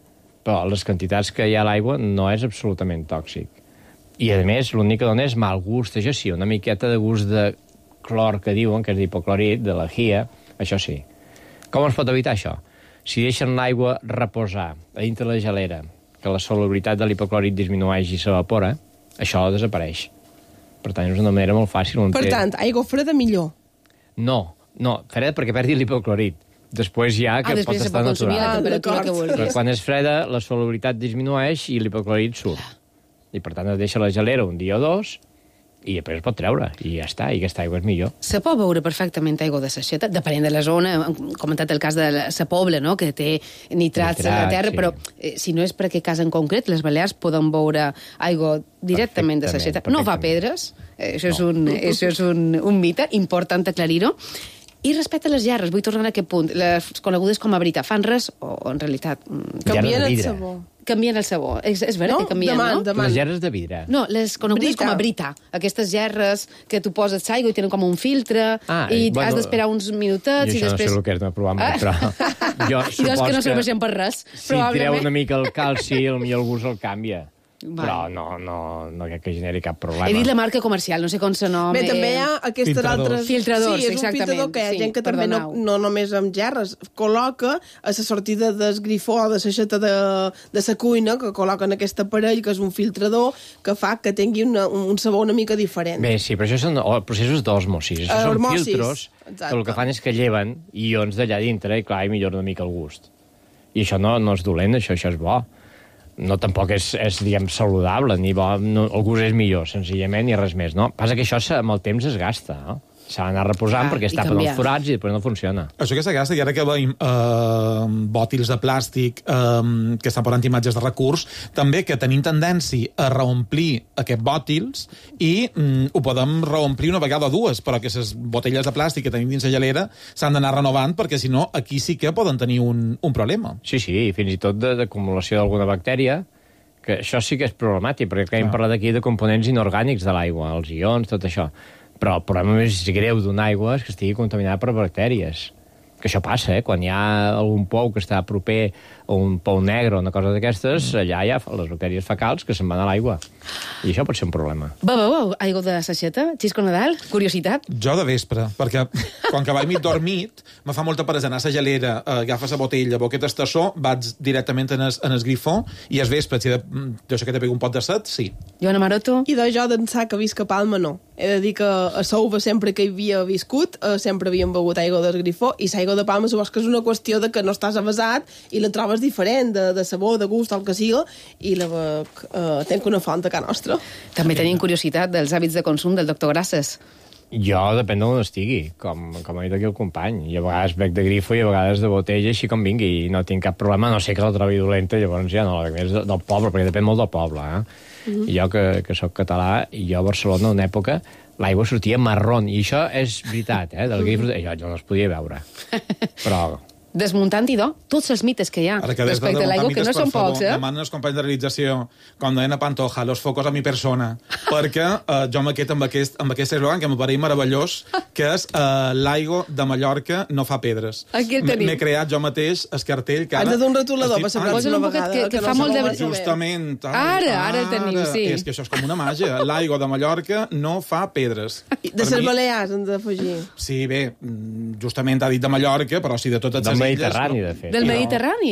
Però les quantitats que hi ha a l'aigua no és absolutament tòxic. I, a més, l'únic que dona és mal gust, això sí, una miqueta de gust de clor que diuen, que és d'hipoclorit, de lejia, això sí. Com es pot evitar això? Si deixen l'aigua reposar a dintre la gelera, que la solubilitat de l'hipoclorit disminueix i s'evapora, això desapareix. Per tant, és una manera molt fàcil. Per tant, aigua freda millor. No, freda perquè perdi l'hipoclorit. Després ja que pot estar natural. Però quan és freda, la solubilitat disminueix i l'hipoclorit surt. I per tant es deixa la gelera un dia o dos i després es pot treure, i ja està, i aquesta aigua és millor. Se pot beure perfectament aigua de saixeta, depenent de la zona. Hem comentat el cas de la Pobla, no?, que té nitrats a la terra, però si no és per aquest cas en concret, les Balears poden beure aigua directament de saixeta. No fa pedres, això és un mite, important aclarir-ho. I respecte a les gerres, vull tornar a aquest punt, les conegudes com a brita, fan res o en realitat canvien el sabó? Canvien el sabó. És veritat que canvien, no? Les gerres de vidre. No, les conegudes com a brita. Aquestes gerres que tu poses aigua i tenen com un filtre i has d'esperar uns minutets i després... Jo això no sé el que és, no he provat mai, però jo supos que no serveixen per res. Si treu una mica el calci, potser algú se'l canvia. Però no crec que generi cap problema. He dit la marca comercial, no sé com se nom. Bé, també hi ha aquestes altres... Filtradors, sí, és un filtrador que hi ha gent que també no només amb gerres col·loca a la sortida del grifó o de l'aixeta de la cuina, que col·loquen aquest aparell, que és un filtrador, que fa que tingui un sabor una mica diferent. Bé, sí, però això són processos d'osmosis. Això són filtros que el que fan és que lleven ions d'allà dintre i, clar, i millora una mica el gust. I això no és dolent, això és bo. No, tampoc és diguem, saludable, ni bo, el gust és millor, senzillament, ni res més, no? Passa que això amb el temps es gasta, no? S'ha d'anar reposant perquè es tapen els forats i després no funciona. Això que s'agasta, i ara que veiem bòtils de plàstic que estan posant imatges de recurs, també que tenim tendència a reomplir aquests bòtils i ho podem reomplir una vegada o dues, però que les botelles de plàstic que tenim dins la gelera s'han d'anar renovant perquè, si no, aquí sí que poden tenir un problema. Sí, fins i tot d'acumulació d'alguna bactèria, que això sí que és problemàtic, perquè hem parlat aquí de components inorgànics de l'aigua, els ions, tot això. Però el problema més greu d'una aigua és que estigui contaminada per bactèries. Que això passa, quan hi ha algun pou que està proper o un pou negre o una cosa d'aquestes, allà hi ha les bactèries fecals que se'n van a l'aigua. I això pot ser un problema. Beveu aigua de saixeta? Xisco Nadal? Curiositat? Jo de vespre, perquè quan que vaig mig dormit, me fa molta peresa anar a la gelera, agafes la botella, boquet estassó, vaig directament en el grifó, i al vespre, si jo sé que te pego un pot de set, sí. Joana Maroto? I de jo d'ençà que visc a Palma, no. He de dir que a Souva sempre que hi havia viscut, sempre havíem begut aigua del grifó, i l'aigua de Palma supos que és una qüestió de que no estàs avesat i la trobes diferent, de sabor, de gust, el que siga, i la bec tenc una font a casa nostra. També tenim curiositat dels hàbits de consum del doctor Grasses. Jo depèn d'on estigui, com ha dit aquí el company. I a vegades bec de grifo i a vegades de botella, així com vingui, i no tinc cap problema, no sé que la trobi dolenta, llavors ja no, és del poble, perquè depèn molt del poble, I jo, que sóc català, i jo a Barcelona, en una època, l'aigua sortia marrón, i això és veritat, del grifo, jo no es podia veure. Però... Desmuntant-hi, tots els mites que hi ha respecte a l'aigua, que no són pocs, Demanen els companys de realització, com deien a Pantoja, los focos a mi persona, perquè jo m'aquest amb aquest eslògan que m'apareix meravellós, que és l'aigua de Mallorca no fa pedres. Aquí el tenim. M'he creat jo mateix el cartell que ara... Has de d'un retolador per saber una vegada. Que fa molt de... Justament. Ara el tenim, sí. És que això és com una màgia. L'aigua de Mallorca no fa pedres. De les Balears, hem d'afegir. Sí, bé, justament ha dit de Mallorca, però sí de totes les Mediterrani, de fet. Del Mediterrani.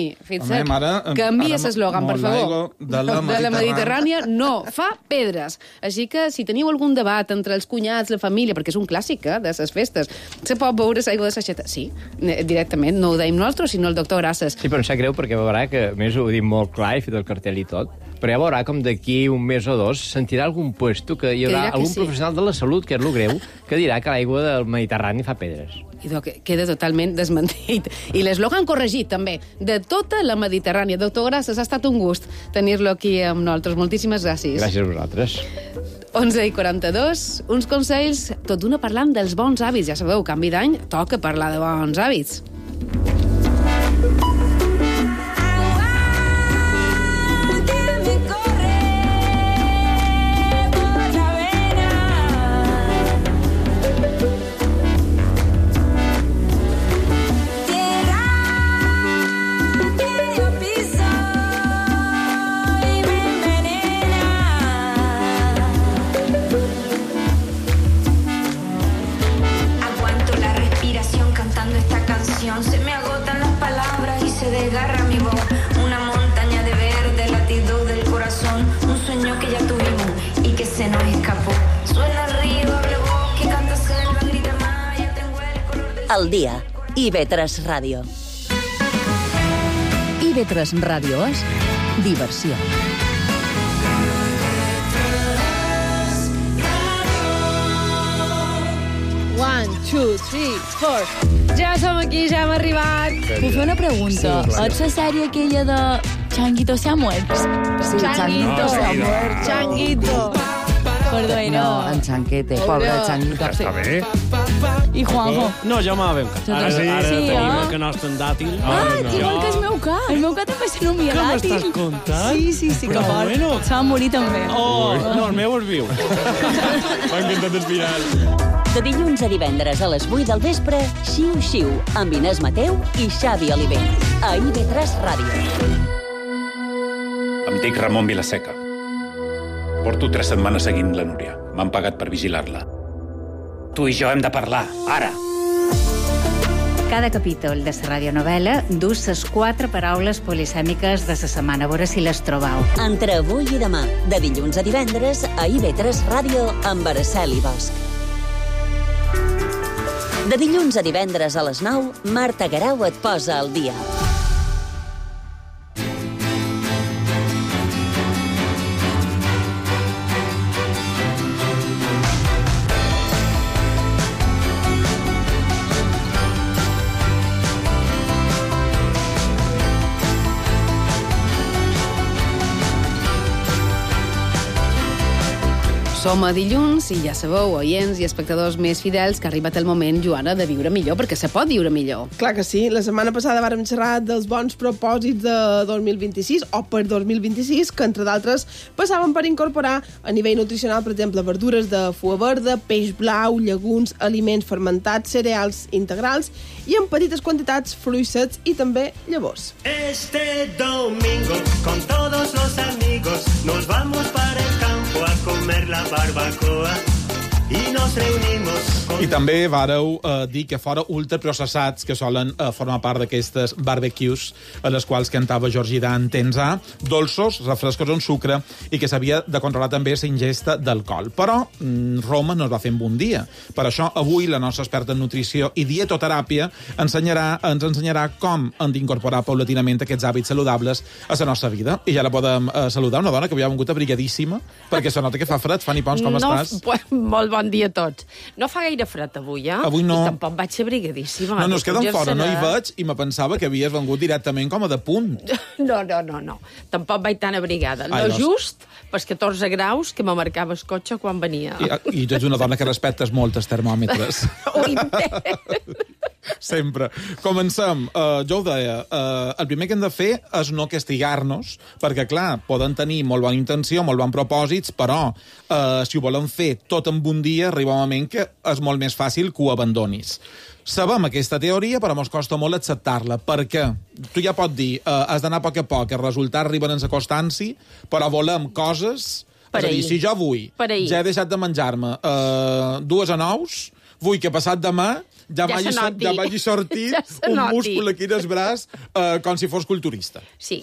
Canvia l'eslògan, per favor. De la Mediterrània no fa pedres. Així que, si teniu algun debat entre els cunyats, la família, perquè és un clàssic, de les festes, se pot beure aigua de saixeta? Sí, directament. No ho deim nosaltres, sinó el doctor Grasses. Sí, però em sap greu perquè veurà que, a més, ho he dit molt clar, he fet el cartell i tot, però ja veurà com d'aquí un mes o dos sentirà algun puesto que hi haurà algun professional de la salut, que és lo greu, que dirà que l'aigua del Mediterrani fa pedres. I queda totalment desmentit. I l'eslògan corregit, també, de tota la Mediterrània. Doctor Grasses, ha estat un gust tenir-lo aquí amb nosaltres. Moltíssimes gràcies. Gràcies a vosaltres. 11:42, uns consells, tot d'una parlant dels bons hàbits. Ja sabeu, canvi d'any, toca parlar de bons hàbits. Se me agotan las palabras y se desgarra mi voz. Una montaña de verde, latido del corazón. Un sueño que ya tuvimos y que se nos escapó. Suena el río, abre voz, que canta selva, grita más. Ya tengo el color del... Al día, IB3 Ràdio. IB3 Ràdio és diversió. One, two, three, four. Ja som aquí, ja hem arribat. Puc fer una pregunta? Sí, és la sèrie aquella de Changuito se ha muerto? Sí, Changuito se ha muerto. Changuito. Perdó, No, en Chanquete, pobre Changuito. Està bé. I Juanjo? No, jo me la veu Ara sí, tenim ah? el canast en dàtil. Igual que el meu ca. El meu ca també s'anomia Què dàtil. m'estàs contant? Sí, que Però fort. bueno. Se va morir també. No, el meu és viu. M'ha encantat el final. De dilluns a divendres a les 8 del vespre, Xiu Xiu, amb Inés Mateu i Xavi Oliver. A IB3 Ràdio. Em dic Ramon Vilaseca. Porto 3 setmanes seguint la Núria. M'han pagat per vigilar-la. Tu i jo hem de parlar, ara. Cada capítol de la radionovel·la dus les 4 paraules polisèmiques de la setmana. A veure si les trobau. Entre avui i demà, de dilluns a divendres, a IB3 Ràdio, amb Araceli Bosch. De dilluns a divendres a les 9, Marta Garau et posa al dia. Som a dilluns i ja sabeu, oients i espectadors més fidels, que ha arribat el moment, Joana, de viure millor, perquè se pot viure millor. Clar que sí. La setmana passada vàrem xerrar dels bons propòsits de 2026, o per 2026, que, entre d'altres, passaven per incorporar a nivell nutricional, per exemple, verdures de fua verda, peix blau, llegums, aliments fermentats, cereals integrals i en petites quantitats fruits secs i també llavors. Este domingo, con todos los amigos, nos vamos para el campo a comer la barbacoa i nos reunimos... I també vàreu dir que fora ultraprocessats, que solen formar part d'aquestes barbecues a les quals cantava Georgie Dan, tensar, dolços, refrescos amb sucre, i que s'havia de controlar també la ingesta d'alcohol. Però Roma no es va fer en un dia. Per això, avui, la nostra experta en nutrició i dietoteràpia ens ensenyarà com hem d'incorporar paulatinament aquests hàbits saludables a la nostra vida. I ja la podem saludar, una dona que havia vengut abrigadíssima, perquè se nota que fa fred. Fanny Pons, com estàs? Molt bon dia a tots. No fa gaire fred avui, eh? Avui no. I tampoc vaig abrigadíssima. No, es queden fora, no hi veig, i me pensava que havies vengut directament com a de punt. No. Tampoc vaig tan abrigada. Just pels 14 graus que me marcava el cotxe quan venia. I tu ets una dona que respectes molt els termòmetres. Sempre. Comencem. Jo ho deia, el primer que hem de fer és no castigar-nos, perquè, clar, poden tenir molt bona intenció, molt bons propòsits, però si ho volen fer tot en un dia, arriba un moment que és molt més fàcil que ho abandonis. Sabem aquesta teoria, però ens costa molt acceptar-la, perquè tu ja pots dir, has d'anar a poc, els resultats arriben en la constància, però volem coses... És a dir, si jo vull, ja he deixat de menjar-me 2 anous, vull que passat demà ja vagi sortit un múscul aquí del braç com si fos culturista. Sí,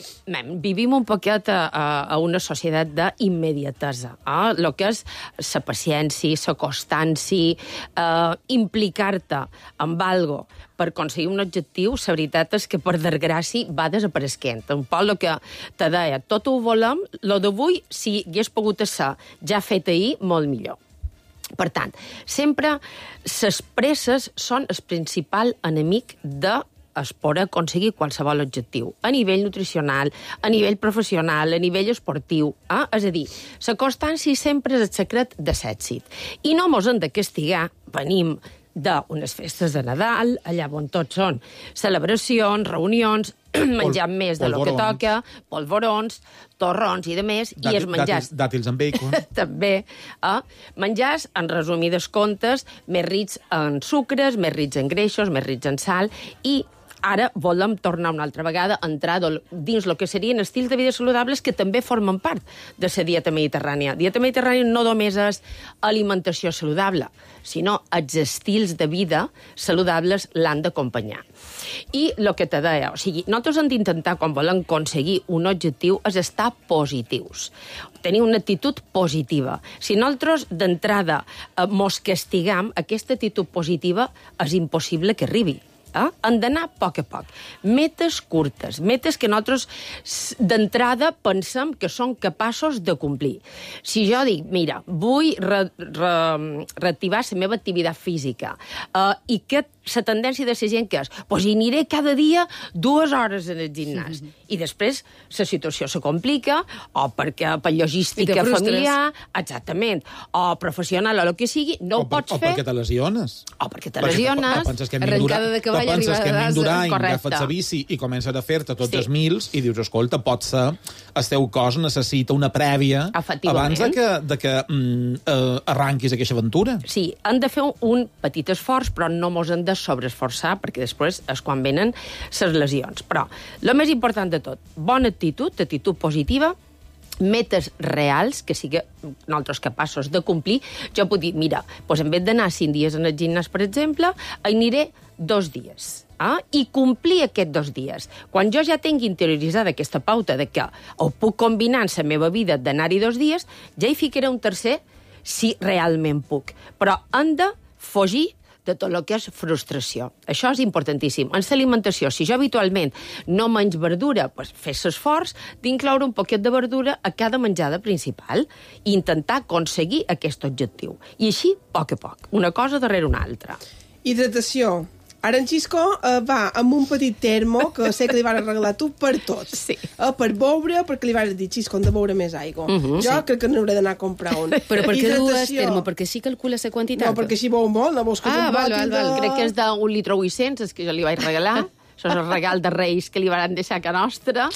vivim un poquet a una societat d'immediatesa. El que és la paciència, la constància, implicar-te amb algo per aconseguir un objectiu, la veritat és que, per desgràcia, va desapareixent. Un poc el que te deia, tot ho volem, el d'avui, si hagués pogut ser ja fet ahir, molt millor. Per tant, sempre les presses són el principal enemic de poder aconseguir qualsevol objectiu, a nivell nutricional, a nivell professional, a nivell esportiu. És a dir, la constància sempre és el secret de l'èxit. I no mos hem de castigar, venim d'unes festes de Nadal, allà on tots són celebracions, reunions, menjant més de lo que toca, polvorons, torrons i de més, i els menjars... Dàtils amb bacon. També. Menjars, en resumides comptes, més rics en sucres, més rics en greixos, més rics en sal, i ara volem tornar una altra vegada a entrar dins el que serien estils de vida saludables que també formen part de la dieta mediterrània. Dieta mediterrània no només és alimentació saludable, sinó els estils de vida saludables l'han d'acompanyar. I el que te deia, o sigui, nosaltres hem d'intentar, quan volem aconseguir un objectiu, és estar positius. Tenir una actitud positiva. Si nosaltres, d'entrada, mos castigam, aquesta actitud positiva és impossible que arribi. Han d'anar a poc, metes curtes, metes que nosaltres d'entrada pensem que són capaços de complir. Si jo dic, mira, vull reactivar la meva activitat física i que la tendència de la gent que és, doncs hi aniré cada dia 2 hores en el gimnàs. I després la situació se complica, o perquè per logística familiar, exactament, o professional, o el que sigui, no ho pots fer. O perquè te lesiones. O perquè te lesiones. Penses que hem d'Urany, agafes la bici i comences a fer-te tots els mils i dius, escolta, pot ser, el teu cos necessita una prèvia abans de que arranquis aquesta aventura. Sí, han de fer un petit esforç, però no mos hem de sobreesforçar, perquè després és quan venen les lesions. Però el més important de tot, bona actitud positiva, metes reals, que sigui nosaltres capaços de complir. Jo puc dir, mira, doncs en vez d'anar 5 dies en el gimnàs, per exemple, aniré 2 dies. I complir aquests 2 dies. Quan jo ja tingui interioritzada aquesta pauta de que ho puc combinar en la meva vida d'anar-hi 2 dies, ja hi ficaré un tercer si realment puc. Però hem de fugir de tot el que és frustració. Això és importantíssim. En l'alimentació, si jo habitualment no menys verdura, doncs fes l'esforç d'incloure un poquet de verdura a cada menjada principal i intentar aconseguir aquest objectiu. I així, a poc, una cosa darrere una altra. Hidratació. Ara en Xisco va amb un petit termo que sé que li vas regalar tu per tot. Sí. Per beure, perquè li vas dir, Xisco, hem de beure més aigua. Jo crec que n'hauré d'anar a comprar un. Però per què dues termo? Perquè sí calcula la quantitat? No, perquè així beu molt, no vols que és un bòtil de... Crec que és d'1,8 litres, és que jo li vaig regalar. Això és el regal de Reis que li van deixar a casa nostra.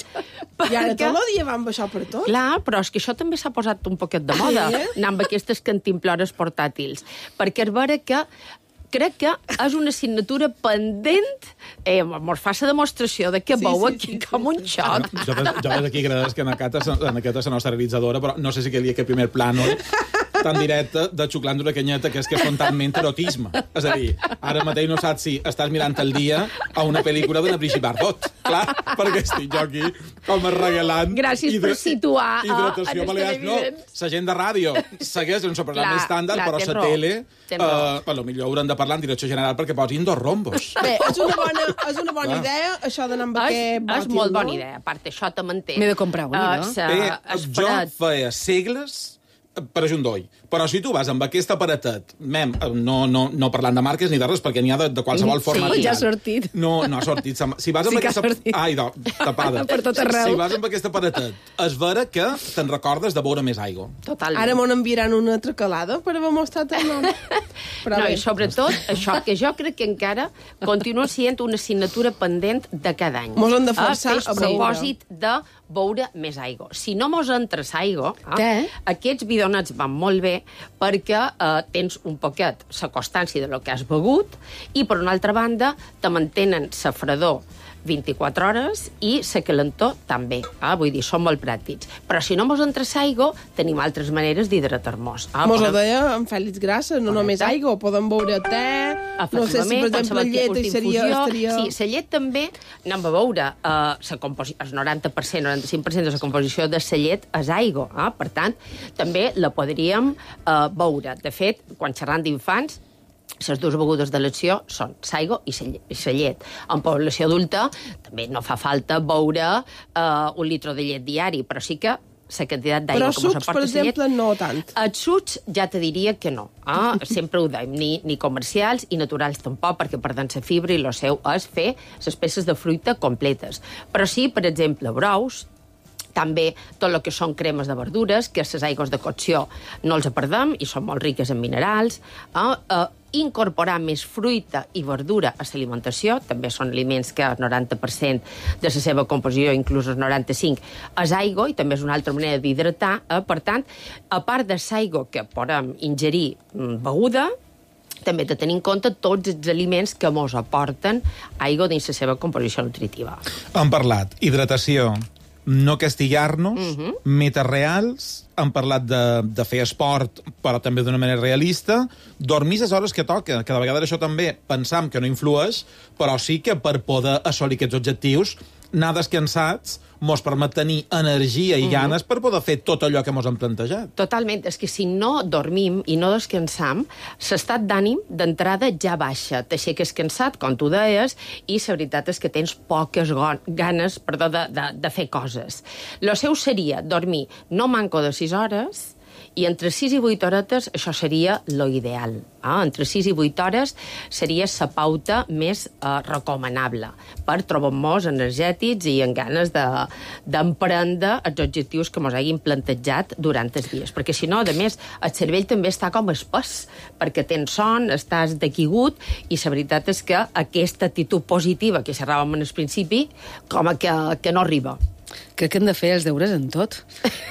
I ara tot el dia van baixar per tot. Clar, però és que això també s'ha posat un poquet de moda, anar amb aquestes cantimplores portàtils. Perquè és vera que crec que és una assignatura pendent. Mos fa la demostració de que veu aquí com un xoc. Jo des d'aquí agraeix que en aquesta és la nostra realitzadora, però no sé si queria que primer plànol tan directe de xuclant una canyeta que és que és fontalment erotisme. És a dir, ara mateix no saps si estàs mirant el dia a una pel·lícula d'una Brigitte Bardot. Clar, perquè estic jo aquí com regalant... Gràcies per situar hidratació balears. No, la gent de ràdio segueix un programa estàndard, però la tele... Potser haurem de parlar en direcció general perquè posin 2 rombos. Bé, és una bona idea, això d'anar amb aquest bòtil. És molt bona idea. A part, això te manté. M'he de comprar un, no? Jo feia segles per ajundoll. Però si tu vas amb aquest aparatet, no parlant de marques ni de res, perquè n'hi ha de qualsevol forma... Sí, ja ha sortit. No ha sortit. Si vas amb aquesta... Ai, tapada. Per tot arreu. Si vas amb aquest aparatet, és vera que te'n recordes de beure més aigua. Totalment. Ara m'ho enviaran una altra calada per haver mostrat el nom. No, i sobretot, això que jo crec que encara continua sent una assignatura pendent de cada any. Mos hem de forçar a propòsit de beure més aigua. Si no mos entres aigua, aquests bidonets van molt bé perquè tens un poquet la constància de lo que has begut i, per una altra banda, te mantenen la fredor 24 hores i la calentor també. Vull dir, són molt pràctics. Però si no mos entres aigua, tenim altres maneres d'hidratar-nos. Mos ho deia en Fèlix Grassa, no només aigua, podem beure te, no sé si, per exemple, llet estaria... Sí, la llet també anem a beure. El 90%, 95% de la composició de la llet és aigua. Per tant, també la podríem beure. De fet, quan xerrant d'infants, les dues begudes d'elecció són l'aigua i la llet. En població adulta també no fa falta beure 1 litre de llet diari, però sí que la quantitat d'aigua que mos aporta la llet... Però sucs, per exemple, no tant. Els sucs ja te diria que no. Sempre ho deim, ni comercials i naturals tampoc, perquè perden la fibra i el seu és fer les peces de fruita completes. Però sí, per exemple, brous, també tot el que són cremes de verdures, que les aigües de cocció no els perdem i són molt riques en minerals. Incorporar més fruita i verdura a l'alimentació, també són aliments que el 90% de la seva composició, inclús el 95%, és aigua, i també és una altra manera d'hidratar. Per tant, a part de l'aigua que podem ingerir beguda, també de tenir en compte tots els aliments que mos aporten aigua dins la seva composició nutritiva. Hem parlat hidratació, no castigar-nos, metes reals, hem parlat de fer esport, però també d'una manera realista, dormir les hores que toca, que de vegades això també pensam que no influeix, però sí que per poder assolir aquests objectius anar descansats mos permet tenir energia i ganes per poder fer tot allò que mos hem plantejat. Totalment. És que si no dormim i no descansam, l'estat d'ànim d'entrada ja baixa. T'aixeques cansat, com tu deies, i la veritat és que tens poques ganes de fer coses. Lo seu seria dormir no manco de 6 hores, i entre 6 i 8 horetes això seria lo ideal. Entre 6 i 8 hores seria la pauta més recomanable per trobar-nos energètics i amb ganes d'emprendre els objectius que ens hagin plantejat durant els dies. Perquè si no, a més, el cervell també està com espès, perquè tens son, estàs dequigut, i la veritat és que aquesta actitud positiva que xerràvem al principi, com que no arriba. Crec que hem de fer els deures en tot.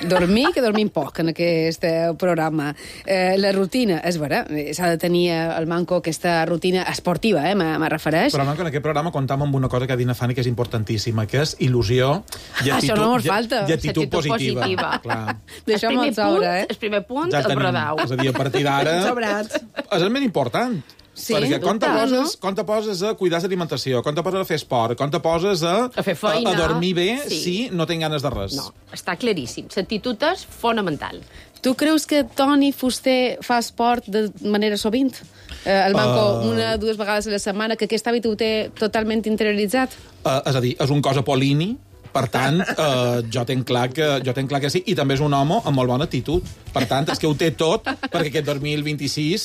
Dormir, que dormim poc en aquest programa. La rutina, és vera, s'ha de tenir el Manco aquesta rutina esportiva, me refereix. Però Manco, en aquest programa comptam amb una cosa que ha dit Fanny que és importantíssima, que és il·lusió i actitud, això no mos falta. I actitud positiva. Deixem-ho al sobre, El primer punt, ja el brodau. És a dir, a partir d'ara és el més important. Sí, perquè quan te poses a cuidar l'alimentació, quan te poses a fer esport, quan te poses a fer feina, a dormir bé, si no tens ganes de res. No, està claríssim. L'actitud és fonamental. Tu creus que Toni Fuster fa esport de manera sovint? El Manco 1 o 2 vegades a la setmana, que aquest hàbit ho té totalment interioritzat? És a dir, és un cos apol·lini. Per tant, jo tenc clar que sí, i també és un home amb molt bona actitud. Per tant, és que ho té tot perquè aquest 2026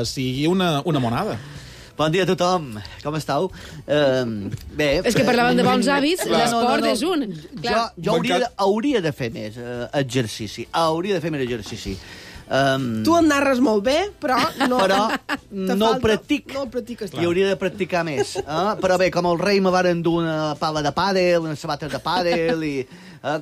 sigui una monada. Bon dia a tothom, com esteu? Bé... És que parlàvem de bons hàbits, l'esport és un. Jo hauria de fer més exercici, Tu en narres molt bé, però no el practic. No el practiques. I hauria de practicar més. Però bé, com el rei me varen dur una pala de pàdel, unes sabates de pàdel, i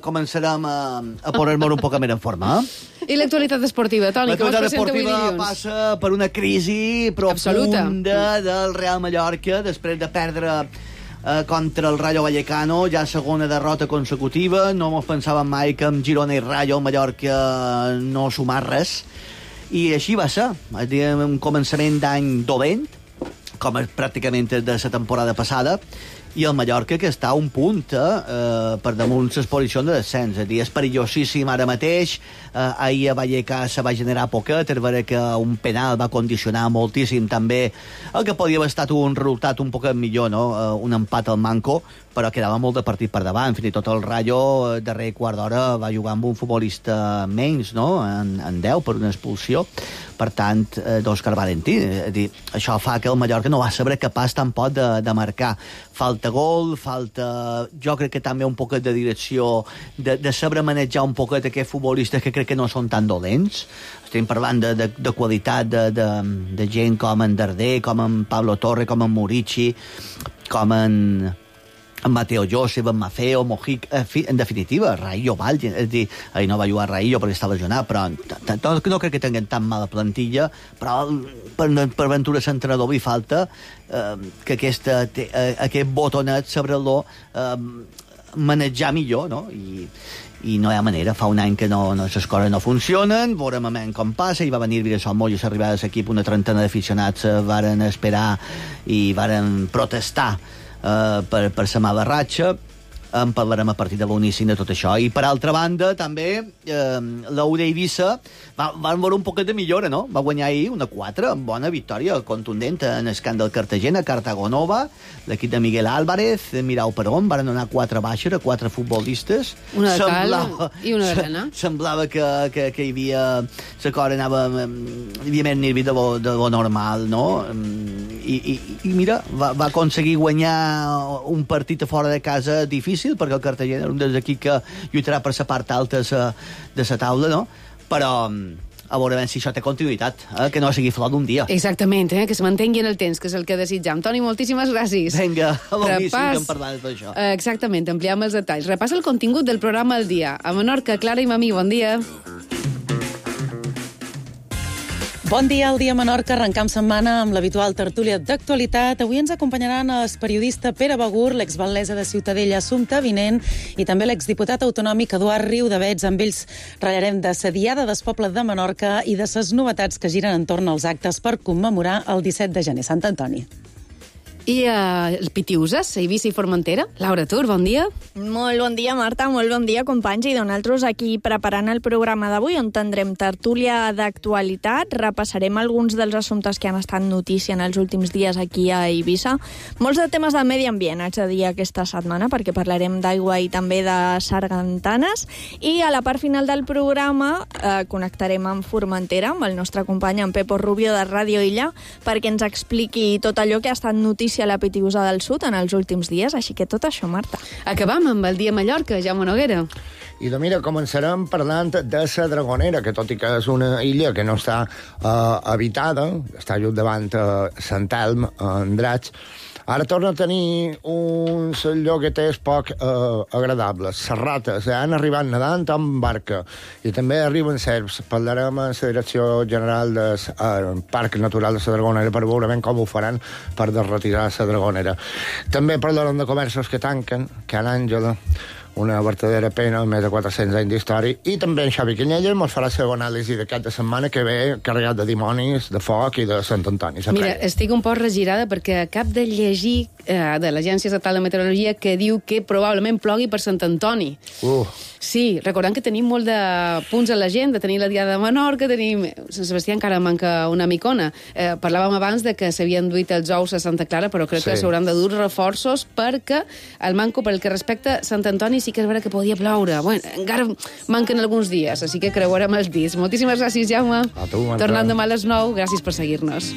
començarem a posar-nos un poc més en forma. I l'actualitat esportiva, Toni, que vos presenta avui dilluns? L'actualitat esportiva passa per una crisi profunda del Real Mallorca, després de perdre contra el Rayo Vallecano, ja segona derrota consecutiva. No mos pensàvem mai que amb Girona i Rayo el Mallorca no sumar res, i així va ser. Un començament d'any dolent, com pràcticament de la temporada passada, i el Mallorca que està a un punt per damunt les posicions de descens. És perillosíssim ara mateix. Ahir a Vallecas se va generar poquet, és vera que un penal va condicionar moltíssim també el que podia haver estat un resultat un poquet millor, no? Un empat al Manco, però quedava molt de partit per davant. Fins i tot el Rayo, darrer quart d'hora, va jugar amb un futbolista menys, no? En 10 per una expulsió. Per tant, d'Òscar Valentí. Això fa que el Mallorca no va ser capaç tampoc de marcar. Falta gol, jo crec que també un poquet de direcció, de saber manejar un poquet aquests futbolistes que crec que no són tan dolents. Estem parlant de qualitat de gent com en Darder, com en Pablo Torre, com en Murici, com en Mateo Josep, en Mafeo, Mojic, en definitiva, Raillo Vall, és dir, ahir no va jugar Raillo perquè està lesionat, però no crec que tinguin tan mala plantilla, però per Ventura l'entrenador li falta que aquest botonet sobre-lo manejar millor, no? I no hi ha manera, fa un any que les coses no funcionen, veurem com passa, i va venir Viresol Moll i s'arribava a l'equip, una trentena d'aficionats varen esperar i varen protestar per la mala ratxa. En parlarem a partir de l'inici de tot això. I per altra banda, també, l'Aude Eivissa van veure un poquet de millora, no? Va guanyar ahir una 4, amb bona victòria contundent en el camp del Cartagena, Cartagonova, l'equip de Miguel Álvarez, Mirau Perón, van donar 4 baixes a 4 futbolistes. Una de cal i una d'arena. Semblava que hi havia... La cosa hi havia més nervi de lo normal, no? I mira, va aconseguir guanyar un partit a fora de casa difícil, perquè el Cartagena era un dels equips que lluitarà per la part alta de la taula, no? Però a veure si això té continuïtat, que no sigui flor d'un dia. Exactament, que se mantengui en el temps, que és el que desitjam. Toni, moltíssimes gràcies. Vinga, a l'inici que em parlaves d'això. Exactament, ampliem els detalls. Repassa el contingut del programa al dia. A Menorca, Clara i Mamí, bon dia. Bon dia, al dia Menorca. Arrencam setmana amb l'habitual tertúlia d'actualitat. Avui ens acompanyaran el periodista Pere Begur, l'ex-batllessa de Ciutadella Assumpta Vinent i també l'exdiputat autonòmic Eduard Riudavets. Amb ells ratllarem de la Diada del Poble de Menorca i de les novetats que giren entorn als actes per commemorar el 17 de gener, Sant Antoni. I el Pitiuses, a Eivissa i Formentera. Laura Tur, bon dia. Molt bon dia, Marta, molt bon dia, companys. I nosaltres aquí preparant el programa d'avui, on tindrem tertúlia d'actualitat, repassarem alguns dels assumptes que han estat notícia en els últims dies aquí a Eivissa. Molts de temes de medi ambient, haig de dir, aquesta setmana, perquè parlarem d'aigua i també de sargantanes. I a la part final del programa connectarem amb Formentera, amb el nostre company, en Pepo Rubio, de Ràdio Illa, perquè ens expliqui tot allò que ha estat notícia a la Pitiusa del Sud en els últims dies, així que tot això, Marta. Acabam amb el dia Mallorca, Jaume Noguera. I mira, començarem parlant de la Dragonera, que tot i que és una illa que no està habitada, està just davant Sant Elm, en Draig, ara torna a tenir uns llogueters poc agradables. Les rates han arribat nedant amb barca i també arriben serps. Parlarem amb la Direcció General del Parc Natural de la Dragonera per veure ben com ho faran per desretirar la Dragonera. També parlarem de comerços que tanquen, Can Àngela, una verdadera pena, més de 400 anys d'història, i també en Xavi Canyella ens farà la segona anàlisi d'aquest de setmana que ve carregat de dimonis, de foc i de Sant Antoni. Mira, estic un poc regirada perquè acab de llegir de l'Agència Estatal de Meteorologia que diu que probablement plogui per Sant Antoni. Sí, recordant que tenim molt de punts a l'agenda, tenim la Diada de Menorca, tenim... Sant Sebastià encara manca una micona. Parlàvem abans de que s'havien duit els ous a Santa Clara, però crec que s'hauran de dur reforços perquè el manco, pel que respecta Sant Antoni, sí que és vera que podia ploure. Bueno, encara manquen alguns dies, així que creuarem els dits. Moltíssimes gràcies, Jaume. A tu, Marta. Tornant demà a les 9, gràcies per seguir-nos.